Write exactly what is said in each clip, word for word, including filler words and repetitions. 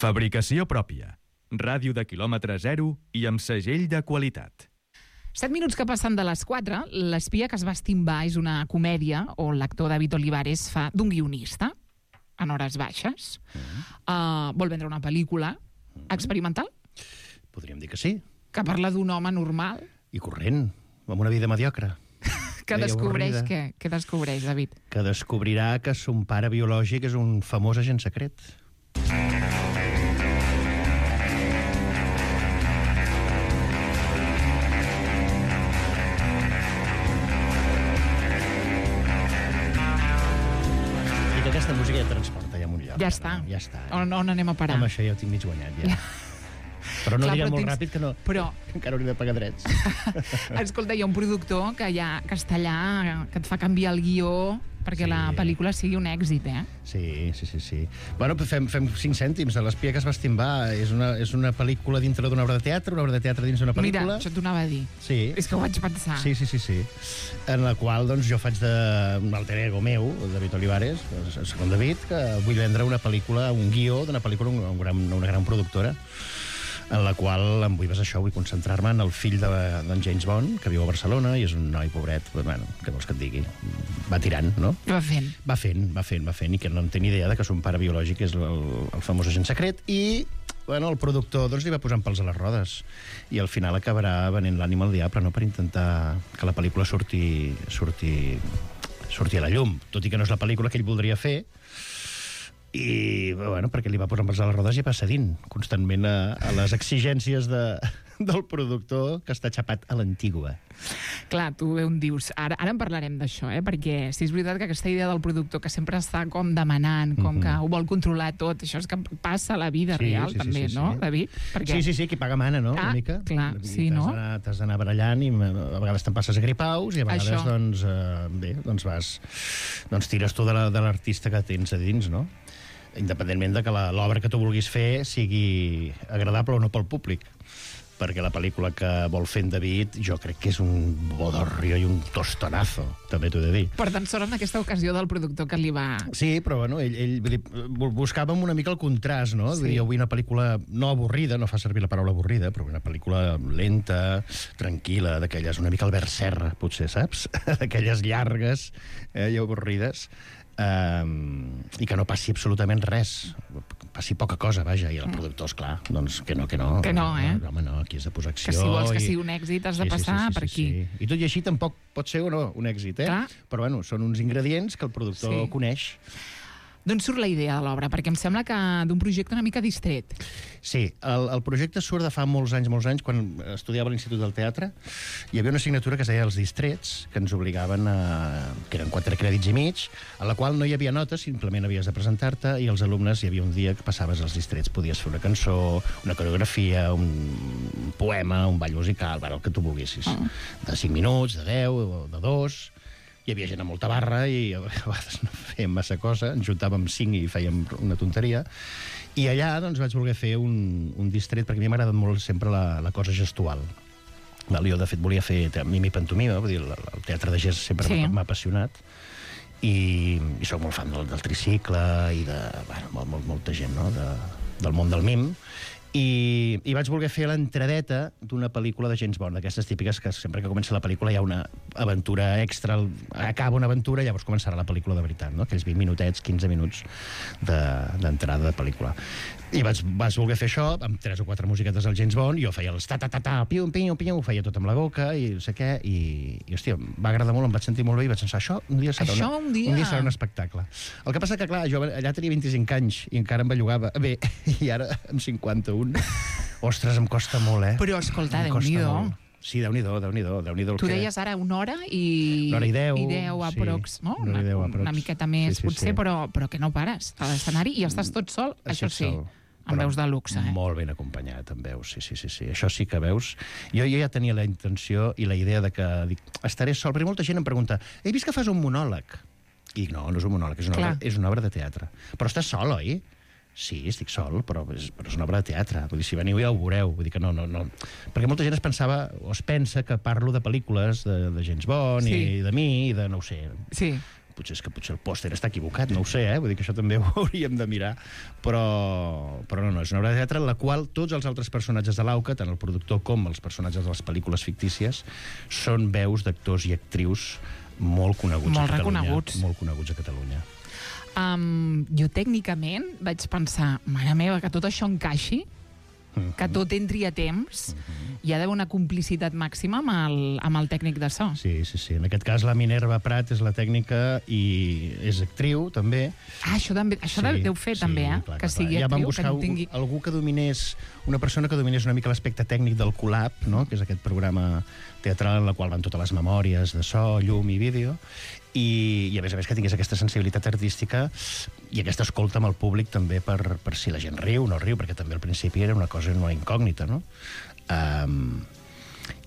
Fabricació pròpia. Ràdio de quilòmetre zero i amb segell de qualitat. Set minuts que passen de les quatre, L'espia que es va estimbar és una comèdia on l'actor David Olivares fa d'un guionista en hores baixes. Mm. Uh, vol vendre una pel·lícula experimental? Podríem dir que sí. Que parla d'un home normal? I corrent, amb una vida mediocre. Que descobreix què? Què descobreix, David? Que descobrirà que son pare biològic és un famós agent secret. I que aquesta música ja transporta ja amunt lloc. Ja està. No? Ja està. On, on anem a parar? Amb això ja ho tinc mig guanyat, ja. Però no Clar, diré però molt tens... ràpid que no. Però... Que encara hauria de pagar drets. Escolta, hi ha un productor que ja que està allà, que et fa canviar el guió perquè Sí. la pel·lícula sigui un èxit, eh? Sí, sí, sí, sí. Bueno, fem, fem cinc cèntims. L'espia que es va estimbar és una, és una pel·lícula dintre d'una obra de teatre, una obra de teatre dins d'una pel·lícula. Mira, això t'ho anava a dir. Sí. És que ho vaig pensar. Sí, sí, sí, sí. En la qual doncs, jo faig de un alter ego meu, el David Olivares, el segon David, que vull vendre una pel·lícula, un guió d'una pel·lícula, una gran, una gran productora, en la qual em vull basar això, vull concentrar-me en el fill de, d'en James Bond, que viu a Barcelona, i és un noi pobret, bueno, què vols que et digui? Va tirant, no? Va fent. Va fent, va fent, va fent, i que no en té ni idea de que son pare biològic és el, el famós agent secret, i bueno, el productor doncs, li va posant pals a les rodes, i al final acabarà venent l'ànima al diable, no?, per intentar que la pel·lícula surti, surti, surti a la llum, tot i que no és la pel·lícula que ell voldria fer, i bueno, perquè li va posar pals a les rodes i va cedint constantment a, a les exigències de, del productor, que està xapat a l'antigua. Clar, tu bé on dius, ara, ara en parlarem d'això, eh? Perquè si és veritat que aquesta idea del productor que sempre està com demanant, com mm-hmm. que ho vol controlar tot, això és que passa a la vida Sí, real, sí, sí, també, sí, sí. no, David? Perquè... Sí, sí, sí, qui paga mana, no? Ah, Una mica. clar, I sí, t'has no? d'anar- T'has d'anar barallant i a vegades te'n passes a gripaus i a vegades, Això. doncs, eh, bé, doncs vas... Doncs tires tu de la- de l'artista que tens a dins, no? Independentment de que la- l'obra que tu vulguis fer sigui agradable o no pel públic. Perquè la pel·lícula que vol fer en David jo crec que és un bodorrio i un tostonazo, també t'ho he de dir. Per tant, sort en aquesta ocasió del productor que li va... Sí, però bueno, ell, ell vull dir, bu- buscàvem una mica el contrast, no? Sí. Vull dir, jo vull una pel·lícula no avorrida, no fa servir la paraula avorrida, però una pel·lícula lenta, tranquil·la, d'aquelles, una mica Albert Serra, potser, saps? D'aquelles llargues eh, i avorrides, eh, i que no passi absolutament res, passi poca cosa, vaja, i el productor, esclar, doncs que no, que no. Que no, eh? No, home, no, aquí has de posar acció. Que si vols que i- sigui un èxit has de passar per aquí. Sí. I tot i així tampoc pot ser o no un èxit, eh? Clar. Però bueno, són uns ingredients que el productor Sí. coneix. D'on surt la idea de l'obra? Perquè em sembla que d'un projecte una mica distret. Sí, el, el projecte surt de fa molts anys, molts anys, quan estudiava a l'Institut del Teatre. Hi havia una assignatura que es deia Els Distrets, que ens obligaven a... que eren quatre crèdits i mig, a la qual no hi havia notes, simplement havies de presentar-te, i els alumnes hi havia un dia que passaves als distrets. Podies fer una cançó, una coreografia, un poema, un ball musical, bueno, el que tu volguessis. Ah. De cinc minuts, de deu, o de dos... Hi havia gent amb molta barra i a vegades no fèiem massa cosa, ens juntàvem cinc i fèiem una tonteria. I allà doncs, vaig voler fer un, un distret, perquè a mi m'ha agradat molt sempre la, la cosa gestual. Val? Jo, de fet, volia fer mimi i pantomima, vull dir, el, el teatre de gest sempre Sí. m'ha m'ha apassionat. I, i sóc molt fan del, del tricicle i de bueno, molt, molt, molta gent, no? de, del món del mim. I, i vaig voler fer l'entradeta d'una pel·lícula de James Bond, d'aquestes típiques que sempre que comença la pel·lícula hi ha una aventura extra, acaba una aventura i llavors començarà la pel·lícula de veritat, no? Aquells vint minutets, quinze minuts d'entrada de, de pel·lícula. I vaig, vaig voler fer això amb tres o quatre musiquetes del James Bond, i jo feia els ta-ta-ta-ta, piu, piu, piu, ho feia tot amb la boca i no sé què, i, i hòstia, em va agradar molt, em vaig sentir molt bé i vaig pensar, això un dia serà, Això una, un dia- un dia serà un espectacle. El que passa que, clar, jo allà tenia vint-i-cinc anys i encara em bellugava bé, i ara amb cinquanta-un, ostres, em costa molt, eh? Però, escolta, Em costa Déu-n'hi-do. molt. Sí, Déu-n'hi-do, Déu-n'hi-do, Déu-n'hi-do el Tu que... deies ara una hora i... Una hora i deu, I deu sí, aprox, no? una hora i deu aprox. Una miqueta més, Sí, sí, potser, sí. Però, però que no pares a l'escenari i estàs tot sol, això Estic sí. sol. Amb Però veus de luxe, eh? Molt ben acompanyat, amb veus, sí, sí, sí, sí. Això sí que veus. Jo, jo ja tenia la intenció i la idea de que dic, estaré sol, perquè molta gent em pregunta, he vist que fas un monòleg. I dic, no, no és un monòleg, és una, Clar. obra, és una obra de teatre. Però estàs sol, oi? Sí, estic sol, però és, però és una obra de teatre. Vull dir, si veniu ja ho veureu. Vull dir que no, no, no. Perquè molta gent es pensava, o es pensa que parlo de pel·lícules de, de James Bond Sí. i de mi, i de no ho sé. Sí. potser és que potser el pòster està equivocat, no ho sé, eh? Vull dir que això també ho hauríem de mirar, però, però no, no, és una obra de teatre en la qual tots els altres personatges de l'Auca, tant el productor com els personatges de les pel·lícules fictícies, són veus d'actors i actrius molt coneguts molt a Catalunya. reconeguts. Molt coneguts a Catalunya. Um, jo tècnicament vaig pensar, mare meva, que tot això encaixi, Mm-hmm. que tot entri a temps, Mm-hmm. hi ha d'haver una complicitat màxima amb el, amb el tècnic de so. Sí, sí, sí. En aquest cas la Minerva Prat és la tècnica i és actriu, també. Ah, això, també, això Sí, deu fer sí, també, eh? clar, que clar, sigui clar. Ja vam actriu, que buscar no tingui... algú que dominés, una persona que dominés una mica l'aspecte tècnic del Colab, no? Que és aquest programa teatral en la qual van totes les memòries de so, llum i vídeo, i, i a més a més que tingués aquesta sensibilitat artística i aquesta escolta amb el públic també per, per si la gent riu o no riu, perquè també al principi era una cosa, una incògnita, no? Um,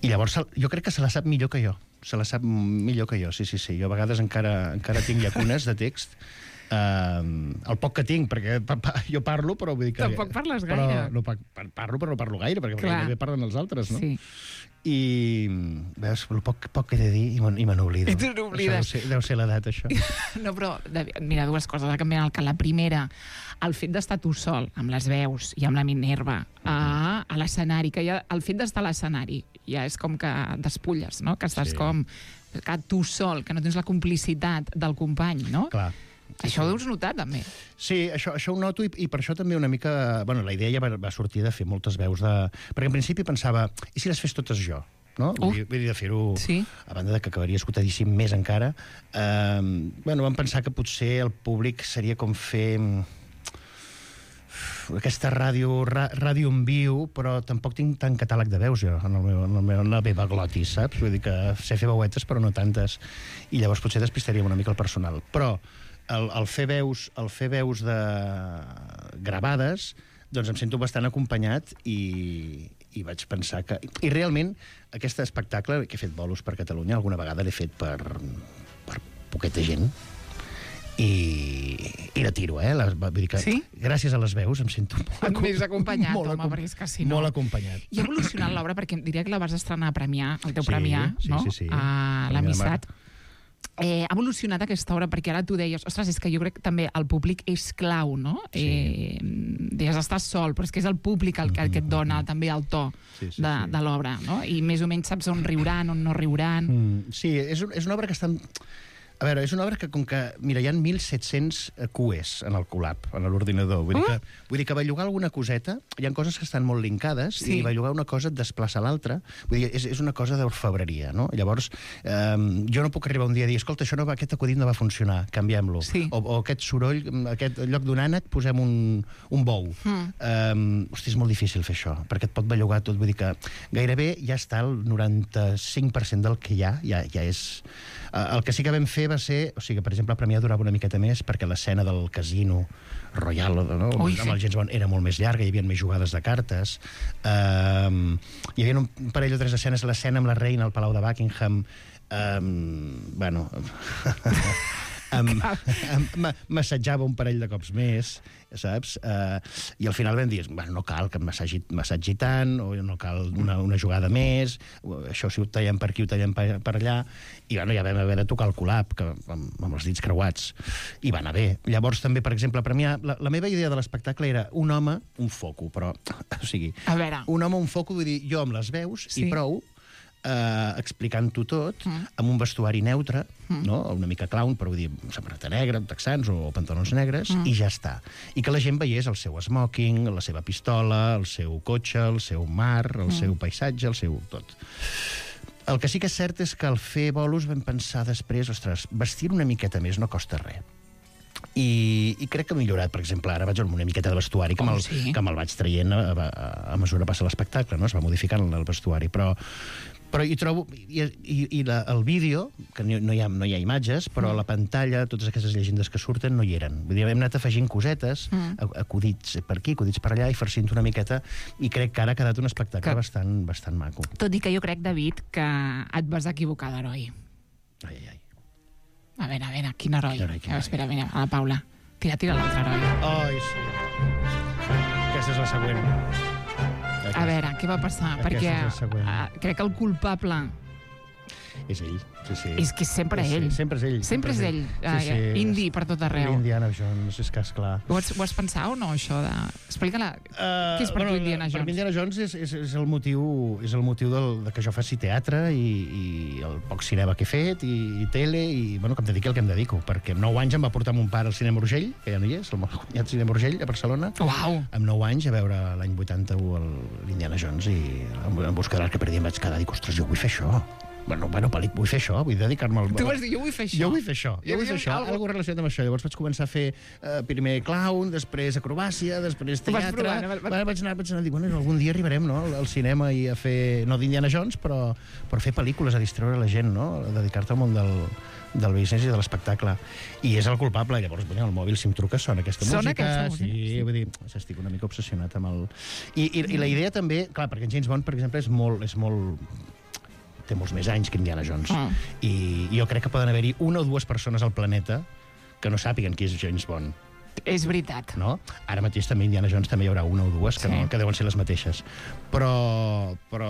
I llavors jo crec que se la sap millor que jo. Se la sap millor que jo, sí, sí, sí. Jo a vegades encara, encara tinc llacunes de text. Uh, el poc que tinc, perquè pa, pa, jo parlo, però vull dir que... Tampoc parles però, gaire. no, pa, parlo, però no parlo gaire, perquè, perquè també parlen els altres, no? Sí. I, veus, el poc, poc que he de dir i me n'oblido. I tu n'oblides. Deu ser, deu ser l'edat, això. No, però, mira, dues coses que canvien el que la primera, el fet d'estar tu sol, amb les veus i amb la Minerva, a, a l'escenari, que ja, el fet d'estar a l'escenari ja és com que despulles, no? Que estàs Sí. com que tu sol, que no tens la complicitat del company, no? Clar. Sí, això ho deus notar, també. Sí, això, això ho noto i, i per això també una mica... Bueno, la idea ja va, va sortir de fer moltes veus de... Perquè en principi pensava, i si les fes totes jo? No? Uh, vull, dir, vull dir, de fer-ho... Sí. A banda de que acabaria escotadíssim més encara. Eh, bueno, vam pensar que potser el públic seria com fer... aquesta ràdio, ràdio en viu, però tampoc tinc tant catàleg de veus jo, en, el meu, en, el meu, en la meva glotis, saps? Vull dir que sé fer veuetes, però no tantes. I llavors potser despistaríem una mica el personal. Però el, el fer veus, el fer veus de gravades, doncs em sento bastant acompanyat i, i vaig pensar que... I realment, aquest espectacle que he fet bolos per Catalunya, alguna vegada l'he fet per, per poqueta gent, i, i la tiro, eh? La, vull dir que sí? Gràcies a les veus em sento molt, més acompanyat, molt, home, perquè és que si no... molt acompanyat. I ha evolucionat l'obra, perquè diria que la vas estrenar a Premià, el teu Sí, Premià, sí, no? sí, sí. A l'Amistat. Eh, ha evolucionat aquesta obra, perquè ara tu deies, ostres, és que jo crec que també el públic és clau, no? Sí. Eh, deies, estàs sol, però és que és el públic el que, el que et dona també el to Sí, sí, de, sí. de l'obra, no? I més o menys saps on riuran, on no riuran. Mm, sí, és, un, és una obra que està... A veure, és una obra que, com que... Mira, hi ha mil set-cents Q Es en el Colab, en l'ordinador. Vull, uh! dir que, vull dir que bellugar alguna coseta... Hi ha coses que estan molt linkades, sí. i bellugar una cosa et desplaça l'altra. Vull dir, és, és una cosa d'orfebreria, no? Llavors, eh, jo no puc arribar un dia a dir, escolta, això no va, aquest acudit no va funcionar, canviem-lo. Sí. O, o aquest soroll, aquest lloc d'un ànec, posem un, un bou. Mm. Eh, hosti, és molt difícil fer això, perquè et pot bellugar tot. Vull dir que gairebé ja està el noranta-cinc per cent del que hi ha, ja, ja és... El que sí que vam fer va ser... O sigui, per exemple, a Premià durava una miqueta més perquè l'escena del casino Royal, no? Ui, amb el sí. James Bond era molt més llarga, hi havia més jugades de cartes. Um, hi havia un parell o tres escenes, l'escena amb la reina al Palau de Buckingham. Um, bueno... Em, em, m'assatjava un parell de cops més, saps? Uh, I al final vam dir, bueno, no cal que m'assagi, m'assagi tant, o no cal una, una jugada més, això si ho tallem per aquí, ho tallem per, per allà, i bueno, ja vam haver de tocar el Colab, que, amb, amb els dits creuats, i va anar bé. Llavors també, per exemple, a Premià, la, la meva idea de l'espectacle era un home, un foco, però, o sigui, a veure. un home, un foco, vull dir, jo amb les veus, sí. i prou, Uh, explicant-ho tot, mm. amb un vestuari neutre, mm. no? Una mica clown, però vull dir, samarreta negra, texans o pantalons negres, mm. i ja està. I que la gent veiés el seu smoking, la seva pistola, el seu cotxe, el seu mar, el mm. seu paisatge, el seu tot. El que sí que és cert és que al fer bolos vam pensar després, ostres, vestir una miqueta més no costa res. I, i crec que ha millorat, per exemple, ara vaig amb una miqueta de vestuari que me'l oh, sí. que me'l vaig traient a, a, a mesura que passa l'espectacle, no? Es va modificant el vestuari, però però hi trobo, i, i, i la, el vídeo, que no hi ha, no hi ha imatges, però mm. a la pantalla, totes aquestes llegendes que surten no hi eren. Vull dir, hem anat afegint cosetes, mm. acudits per aquí, acudits per allà, i farcint una miqueta, i crec que ara ha quedat un espectacle que... bastant, bastant maco. Tot i que jo crec, David, que et vas equivocar d'heroi. Ai, ai, ai. A veure, a veure, quin heroi? Quin heroi, quin heroi. Espera, mira, a la Paula. Tira, tira l'altre heroi. Ai, sí. Aquesta és la següent. A veure, què va passar? Aquesta Perquè és la següent. uh, crec que el culpable És ell, sí, sí. És que és sempre sí, ell. Sí, sempre és ell. Sempre és ell. Sí, sí. Uh, indi per tot arreu. Indiana Jones, és que esclar. Ho has, ho has pensat o no, això de... Explica-la. Uh, Què és per bueno, tu Indiana Jones? Per mi Indiana Jones és, és, és el motiu, és el motiu del, de que jo faci teatre i, i el poc cinema que he fet i, i tele i bueno, que em dediqui al que em dedico, perquè amb nou anys em va portar mon pare al Cinema Urgell, que ja no hi és, el molt guanyat Cinema Urgell a Barcelona. Uau! Amb nou anys a veure l'any vuitanta-u l'Indiana Jones i en, en busca de l'arc que perdia em vaig quedar i dic, ostres, jo vull fer això. Bueno, bueno, pel·lic, vull fer això, vull dedicar-me al... Tu vas dir, jo vull fer això. Jo vull fer això, jo vull fer això, algo... algo relacionat amb això. Llavors vaig començar a fer uh, primer clown, després acrobàcia, després teatre... provar, no? Va, vaig anar, vaig anar a dir, bueno, algun dia arribarem, no?, al cinema i a fer, no d'Indiana Jones, però per fer pel·lícules, a distreure la gent, no?, a dedicar-te al món del, del business i de l'espectacle. I és el culpable. Llavors, bueno, el mòbil, si em truca, sona aquesta sona música. Aquesta música. Sí, sí, vull dir, estic una mica obsessionat amb el... I, i, i la idea també, clar, perquè James Bond, per exemple, és molt... És molt té molts més anys que Indiana Jones. Ah. I, I jo crec que poden haver-hi una o dues persones al planeta que no sàpiguen qui és James Bond. És veritat. No? Ara mateix també Indiana Jones també hi haurà una o dues que, Sí. no, que deuen ser les mateixes. Però, però,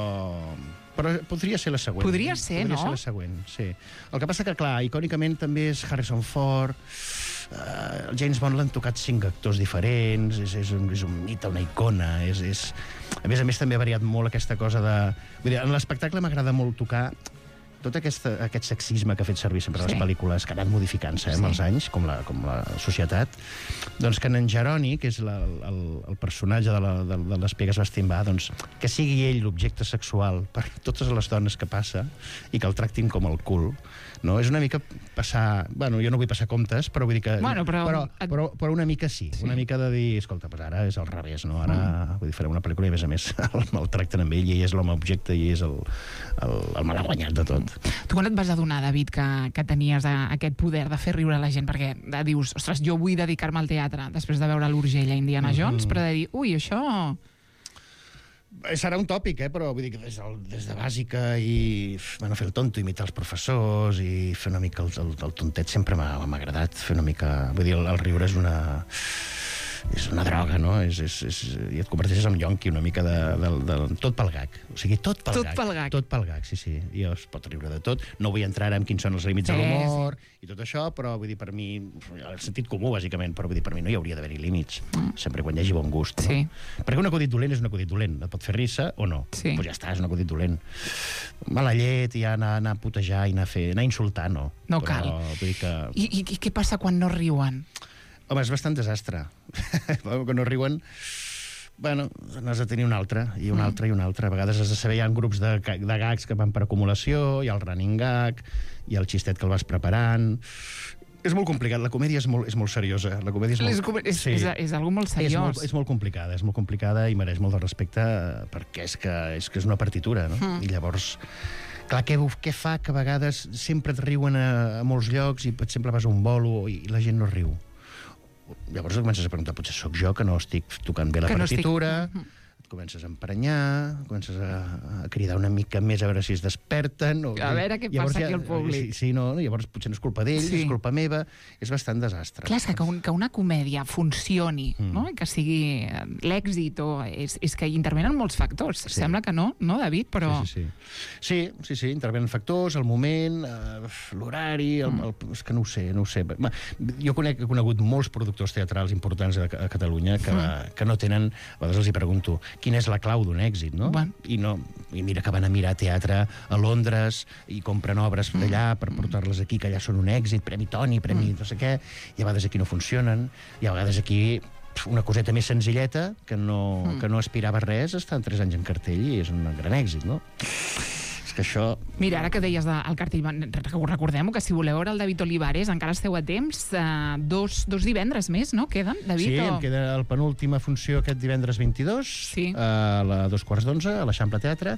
però podria ser la següent. Podria ser, podria no? ser la següent, sí. El que passa que, clar, icònicament també és Harrison Ford, uh, el James Bond l'han tocat cinc actors diferents, és, és, un, és un mite, una icona, és, és... A més a més, també ha variat molt aquesta cosa de... Vull dir, en l'espectacle m'agrada molt tocar tot aquesta, aquest sexisme que ha fet servir sempre sí. les pel·lícules, que ha anat modificant-se eh, amb Sí. els anys, com la, com la societat, doncs que en Jeroni, que és la, el, el personatge de, la, de, de les Pegues Bastimbar, doncs, que sigui ell l'objecte sexual per totes les dones que passa i que el tractin com el cul, no? És una mica passar... Bueno, jo no vull passar comptes, però vull dir que... Bueno, però- però, però, però una mica sí, Sí. una mica de dir, escolta, pues ara és al revés, no? Ara mm. vull dir, farem una pel·lícula i, a més a més, el maltracten amb ell i ell és l'home objecte i és el, el, el malaguanyat de tot. Tu quan et vas adonar, David, que, que tenies a, aquest poder de fer riure la gent? Perquè de, dius, ostres, jo vull dedicar-me al teatre després de veure l'Urgell a Indiana Jones, mm -hmm. però de dir, ui, això... Serà un tòpic, eh? Però vull dir que des, del, des de bàsica i bueno, fer el tonto, imitar els professors i fer una mica el, el, el tontet sempre m'ha agradat, fer una mica... Vull dir, el, el riure és una... és una droga, no? És, és, és, i et converteixes en yonqui una mica de, de, de, de... Tot pel gag. O sigui, tot pel Tot gag. pel gag. Tot pel gag, sí, sí. I es pot riure de tot. No vull entrar en quins són els límits de Sí, l'humor i tot això, però vull dir, per mi... El sentit comú, bàsicament, però vull dir, per mi no hi hauria d'haver-hi límits. Mm. Sempre quan hi hagi bon gust, no? Sí. Perquè un acudit dolent és un acudit dolent. Et pot fer risa o no. Sí. Pues ja està, és un acudit dolent. Mala llet i anar, anar a putejar i anar a, fer, anar a insultar, no. No però, cal. Vull dir que... I, i, I què passa quan no riuen? Home, és bastant desastre. Quan no riuen... Bueno, n'has de tenir un altre, i un Mm. altre, i un altre. A vegades has de saber, hi ha grups de, de gags que van per acumulació, hi ha el running gag, hi ha el xistet que el vas preparant... És molt complicat, la comèdia és molt, és molt seriosa. La comèdia és molt... És, com- és, Sí. és, és algo molt És seriós. molt, és molt complicada, és molt complicada i mereix molt de respecte eh, perquè és que és, que és una partitura, no? Mm. I llavors, clar, què, què fa que a vegades sempre et riuen a, a molts llocs i per exemple vas a un bolo i la gent no riu? Llavors et comences a preguntar, potser sóc jo que no estic tocant bé la Que no estic- partitura, Mhm. et comences a emprenyar, comences a, a cridar una mica més a veure si es desperten... O, A veure què passa aquí al públic. Sí, sí, no? Llavors potser no és culpa d'ells, Sí. és culpa meva, és bastant desastre. Clar, és que, que, un, que una comèdia funcioni, Mm. no? I que sigui eh, l'èxit, o és, és que hi intervenen molts factors. Sí. Sembla que no, no, David? Però... Sí, sí, sí. Sí, sí, sí, intervenen factors, el moment, eh, l'horari, el, el, és que no ho sé, no ho sé. Va, jo conec, he conegut molts productors teatrals importants a, a Catalunya que, mm. que no tenen, a vegades els hi pregunto, quina és la clau d'un èxit, no? Bueno. I, no, I mira que van a mirar teatre a Londres i compren obres d'allà per portar-les aquí, que allà són un èxit, Premi Toni, Premi mm. no sé què, i a vegades aquí no funcionen, i a vegades aquí una coseta més senzilleta, que no, mm. que no aspirava a res, està en tres anys en cartell i és un gran èxit, no? És que això... Mira, ara que deies del cartell, recordem que si voleu veure el David Olivares, encara esteu a temps, eh, dos, dos divendres més, no? Queden, David? Sí, o... em queda la penúltima funció aquest divendres vint-i-dos, Sí. a la dos quarts d'onze, a l'Eixample Teatre,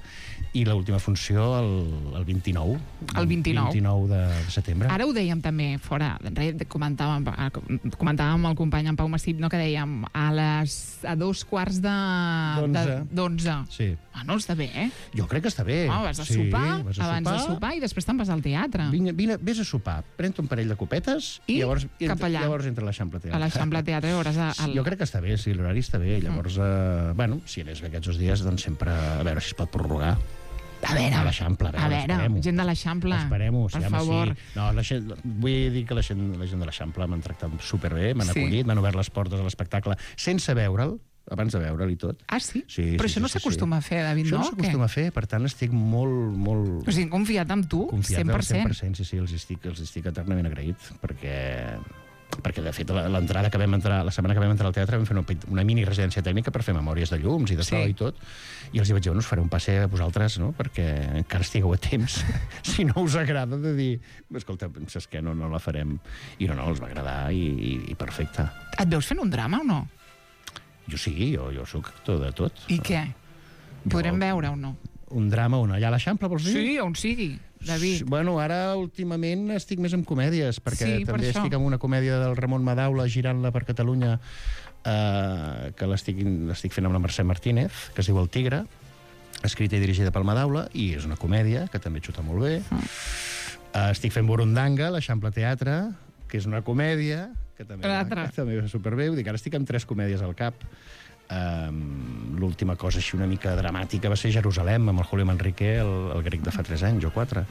i l'última funció el, el vint-i-nou. El vint-i-nou. vint-i-nou de setembre. Ara ho dèiem també fora, comentàvem, comentàvem amb el company en Pau Massip, no, que dèiem a les a dos quarts de D'onze. d'onze. Sí. Ah, no, està bé, eh? Jo crec que està bé. Oh, vas a sí, sopar, vas a abans sopar, de sopar, i després te'n vas al teatre. Vine, vine, vés a sopar, pren-te un parell de copetes I i, llavors, i cap allà. llavors entra a l'Eixample Teatre. A l'Eixample Teatre veuràs... A, Sí, jo crec que està bé, sí, l'horari està bé. Llavors, eh, bueno, si anés bé aquests dos dies, doncs sempre a veure si es pot prorrogar. A veure, a l'Eixample, a veure, gent de l'Eixample, esperem-ho, per sí, favor. Sí. No, la gent, vull dir que la gent, la gent de l'Eixample m'han tractat superbé, m'han Sí. acollit, m'han obert les portes a l'espectacle sense veure'l, abans de veure'l i tot. Ah, sí? Sí, Però sí, això no sí, sí, s'acostuma sí. a fer, David, Això no? no s'acostuma a fer, per tant estic molt, molt... O sigui, confiat en tu, confiat cent per al cent cent. per cent, sí, sí, els estic, els estic eternament agraït, perquè perquè de fet l'entrada que vam entrar la setmana que vam entrar al teatre vam fer una, una mini residència tècnica per fer memòries de llums i de so Sí. i tot, i els hi vaig dir, bueno, us faré un passe a vosaltres, no?, perquè encara estigueu a temps si no us agrada, de dir escolta, saps què, no, no la farem, i no, no, els va agradar i, i, i perfecte. Et veus fent un drama o no? Jo sí, jo, jo sóc actor de tot. I què? Podrem Jo- veure o no? Un drama on allà a l'Eixample, vols dir? Sí, on sigui, David. Sí, bueno, ara últimament estic més en comèdies, perquè Sí, per també això. estic en una comèdia del Ramon Madaula, girant-la per Catalunya, eh, que l'estic l'estic fent amb la Mercè Martínez, que es diu El Tigre, escrita i dirigida pel Madaula, i és una comèdia que també xuta molt bé. Ah. Eh, estic fent Burundanga, l'Eixample Teatre, que és una comèdia que també, va, L'altra. que també va superbé. Vull dir que ara estic amb tres comèdies al cap. Um, l'última cosa així una mica dramàtica va ser Jerusalem, amb el Julio Manrique, el, el grec de fa tres anys o quatre.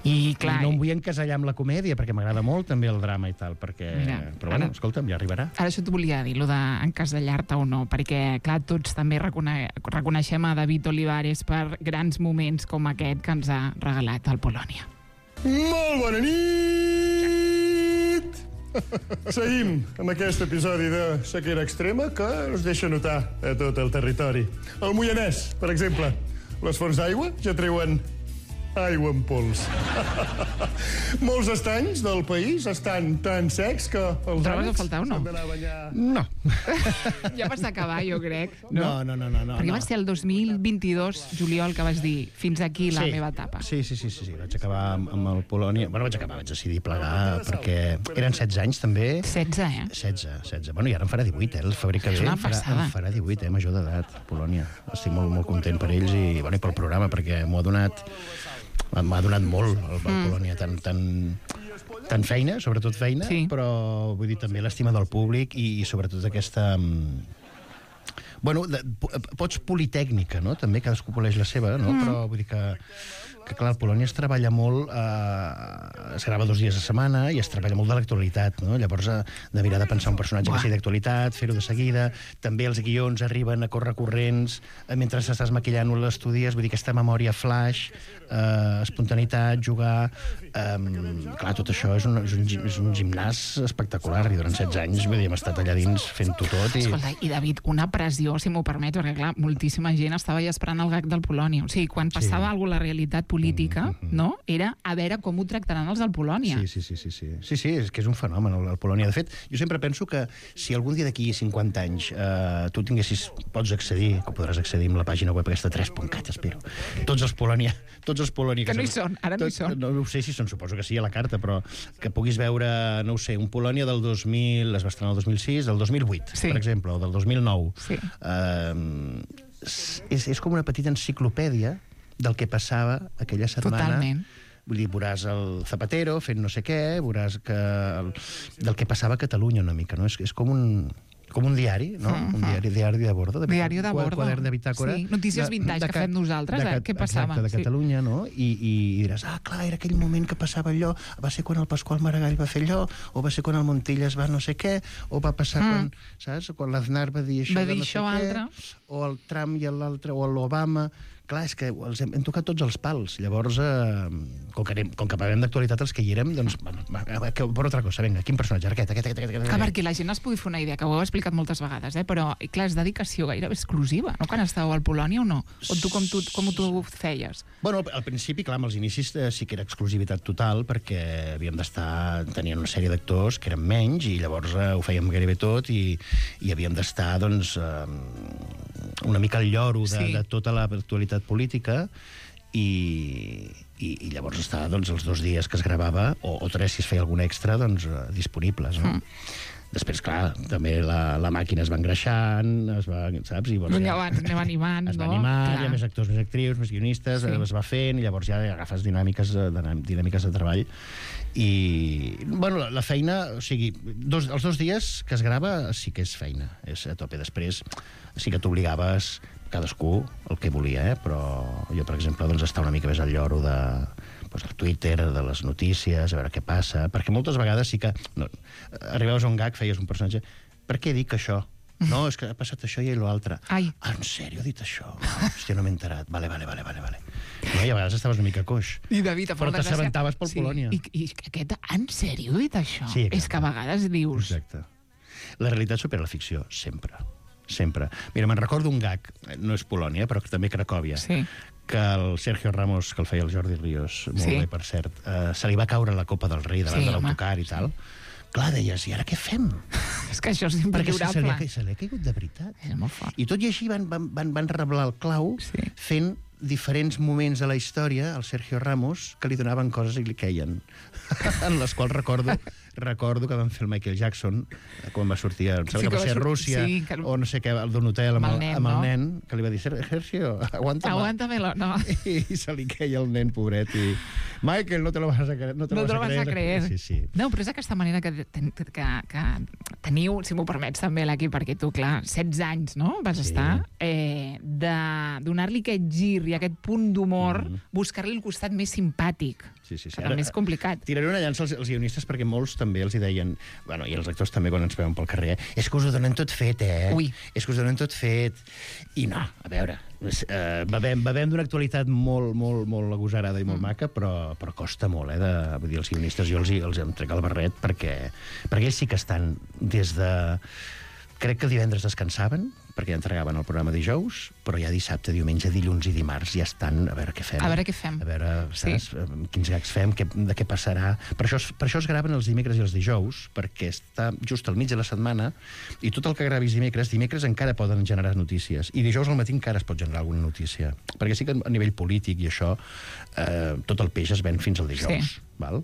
I clar, I no em vull encasellar amb la comèdia, perquè m'agrada molt també el drama i tal, perquè... Mira, però bueno, ara- escolta'm, ja arribarà. ara això t'ho volia dir, lo d'encasellar-te o no, perquè, clar, tots també recone reconeixem a David Olivares per grans moments com aquest que ens ha regalat el Polònia. Molt bona nit! Seguim amb aquest episodi de sequera extrema que es deixa notar a tot el territori. El Moianès, per exemple. Les fonts d'aigua ja treuen aigua en pols. Molts estanys del país estan tan secs que els Trobes a ànecs faltar o no? s'han d'anar a banyar. No. Ja vas acabar, jo crec. No, no, no, no. no Perquè no. va ser el dos mil vint-i-dos, juliol, que vas dir fins aquí la Sí. meva etapa. Sí, sí, sí, sí, sí. Vaig acabar amb, amb el Polònia. Bueno, vaig acabar, vaig decidir plegar, perquè eren setze anys, també. setze, eh? setze, setze. Bueno, i ara em farà divuit, eh? El febrer que És ve una em farà, passada. em farà divuit, eh? Major d'edat, Polònia. Estic molt, molt content per ells i, bueno, i pel programa, perquè m'ho ha donat... M'ha donat molt el, el mm. Polònia, tant, tant, tant feina, sobretot feina, Sí. però vull dir també l'estima del públic i, i sobretot aquesta... mm, Bueno, de, po- pots politècnica, no? També cadascú poleix la seva, no? Mm. Però vull dir que, que clar, el Polònia es treballa molt, eh, es grava dos dies a setmana i es treballa molt de l'actualitat, no? Llavors, eh, de mirar de pensar un personatge Buah. que sigui d'actualitat, fer-ho de seguida, també els guions arriben a córrer corrents, eh, mentre estàs maquillant-ho a l'estudies, vull dir, aquesta memòria flash, eh, espontaneïtat, jugar... Eh, clar, tot això és un, és, un, gim- és un gimnàs espectacular, i durant setze anys, vull dir, hem estat allà dins fent-ho tot i... Escolta, i David, una pressió, si m'ho permet, perquè clar, moltíssima gent estava ja esperant el gag del Polònia. O sigui, quan passava Sí. alguna cosa a la realitat política, mm -hmm. no? Era a veure com ho tractaran els del Polònia. Sí, sí, sí, sí, sí. Sí, sí, és que és un fenomen, el, el Polònia. De fet, jo sempre penso que si algun dia d'aquí cinquanta anys eh, tu tinguessis, pots accedir, que podràs accedir amb la pàgina web aquesta tres punt cat, espero. Tots els Polònia, tots els Polònia... Que no hi s'han- són, ara no hi són. No, no ho sé si són, suposo que sí a la carta, però que puguis veure, no ho sé, un Polònia del dos mil, es va estrenar el dos mil sis, del dos mil vuit, Sí. per exemple, o del dos mil nou. Sí. Eh, és, és com una petita enciclopèdia del que passava aquella setmana. Totalment. Vull dir, veuràs el Zapatero fent no sé què, veuràs que el, del que passava a Catalunya una mica, no? És, és com un com un diari, no? Mhm. Un diari, diari de bordo. De Diari de quad- bordo. Quadern de bitàcora. Sí, notícies vintage que Ca- fem nosaltres, de eh? Ca- Què passava? Exacte, de Sí. Catalunya, no? I, I diràs, ah, clar, era aquell moment que passava allò, va ser quan el Pasqual Maragall va fer allò, o va ser quan el Montillas va no sé què, o va passar Mm. quan, saps? Quan l'Aznar va dir això Va de dir no això sé què, altre. o el Trump i l'altre, o l'Obama... Clar, és que els hem, hem tocat tots els pals. Llavors, eh, com, que anem, com que parlem d'actualitat els que hi érem, doncs, va, va, va, que, per altra cosa, vinga, quin personatge? Aquest, aquest, aquest, aquest, Que aquest. perquè la gent es pugui fer una idea, que ho heu explicat moltes vegades, eh? Però, clar, és dedicació gairebé exclusiva, no? Quan estàveu al Polònia o no? O tu com tu, com tu feies? Bueno, al, al principi, clar, amb els inicis eh, sí que era exclusivitat total, perquè havíem d'estar... Tenien una sèrie d'actors que eren menys, i llavors eh, ho fèiem gairebé tot, i, i havíem d'estar, doncs, eh, una mica al lloro de, Sí. de tota l'actualitat política, i, i, i llavors estar, doncs, els dos dies que es gravava, o, o tres si es feia algun extra, doncs, eh, disponibles, no? Mm. Després, clar, també la, la màquina es va engreixant, es va, saps? I, Doncs llavors anem animant, es va no? animar, Clar. hi ha més actors, més actrius, més guionistes, Sí. sí. es va fent, i llavors ja agafes dinàmiques de, dinàmiques de treball. I, bueno, la, la feina, o sigui, dos, els dos dies que es grava sí que és feina, és a tope. Després sí que t'obligaves, cadascú el que volia, eh? Però jo, per exemple, doncs, està una mica més al lloro de, doncs, del Twitter, de les notícies, a veure què passa, perquè moltes vegades sí que... No, arribaves a un gag, feies un personatge... Per què dic això? No, és que ha passat això i l'altre. Ai. Ah, en sèrio, ha dit això? Hòstia, no m'he enterat. Vale, vale, vale, vale, vale. No, i a vegades estaves una mica coix. I David, però t'assabentaves pel sí. Polònia. I, I aquest, en sèrio, ha dit això? Sí, és que a vegades dius... Exacte. La realitat supera la ficció, sempre. Sempre. Mira, me'n recordo un gag, no és Polònia, però també Cracòvia, Sí. que el Sergio Ramos, que el feia el Jordi Ríos, molt Sí. bé, per cert, eh, se li va caure la Copa del Rei davant Sí, de home. l'autocar i tal. Clar, deies, i ara què fem? És que això és Perquè se, se, li imperdurable. ha, se li ha caigut de veritat. És molt fort. I tot i així van, van, van, van reblar el clau Sí. fent diferents moments de la història al Sergio Ramos que li donaven coses i li queien. en les quals recordo recordo que van fer el Michael Jackson quan va sortir, em sembla Sí, que va que ser va a sur- Rússia sí, que- o no sé què, el d'un hotel amb, Amb el el, nen, amb el no? nen, que li va dir, Sergio, aguanta. Aguántamelo, no. I se li queia el nen, pobret, i Michael, no te lo vas a creer. No te No lo te lo vas vas a creer. Sí, sí. No, però és aquesta manera que, ten, que, que teniu, si m'ho permets també, l'equip, perquè tu, clar, setze anys, no?, vas Sí. estar, eh, de donar-li aquest gir i aquest punt d'humor, Mhm. buscar-li el costat més simpàtic, Sí, sí, sí. que també és complicat. Tiraré una llança als, als guionistes perquè molts també els hi deien, bueno, i els actors també quan ens veuen pel carrer, eh? És que us ho donen tot fet, eh? Ui. És que us ho donen tot fet. I no, a veure, eh, bevem, bevem d'una actualitat molt, molt, molt agosarada i molt mm. maca, però, però costa molt, eh? De, vull dir, els guionistes jo els, hi- els em trec el barret perquè, perquè ells sí que estan des de... Crec que divendres descansaven, perquè ja entregaven el programa dijous, però ja dissabte, diumenge, dilluns i dimarts ja estan a veure què fem. A veure què fem. A veure, Sí. saps, sí. quins gags fem, què, de què passarà. Per això, es- per això es graven els dimecres i els dijous, perquè està just al mig de la setmana, i tot el que gravis dimecres, dimecres encara poden generar notícies, i dijous al matí encara es pot generar alguna notícia. Perquè sí que a nivell polític i això, eh, tot el peix es ven fins al dijous. Sí. Val?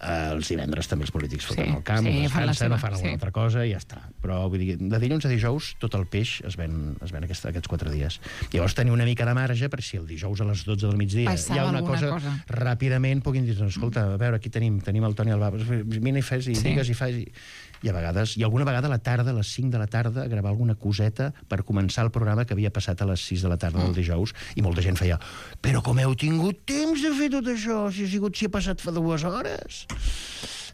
Eh, els divendres també els polítics foten Sí, el camp, sí, sí, fan la descansen, seva, no fan alguna sí. altra cosa i ja està. Però vull dir, de dilluns a dijous tot el peix es ven, es ven aquest, aquests quatre dies. Llavors tenir una mica de marge per si el dijous a les dotze del migdia Passava hi ha una alguna cosa, cosa. ràpidament puguin dir, escolta, a veure, aquí tenim, tenim el Toni Albà, vine i fes, i Sí. digues i fas... I, i a vegades, i alguna vegada a la tarda, a les cinc de la tarda, gravar alguna coseta per començar el programa que havia passat a les sis de la tarda del dijous, i molta gent feia, però com heu tingut temps de fer tot això, si ha sigut, si ha passat fa dues hores?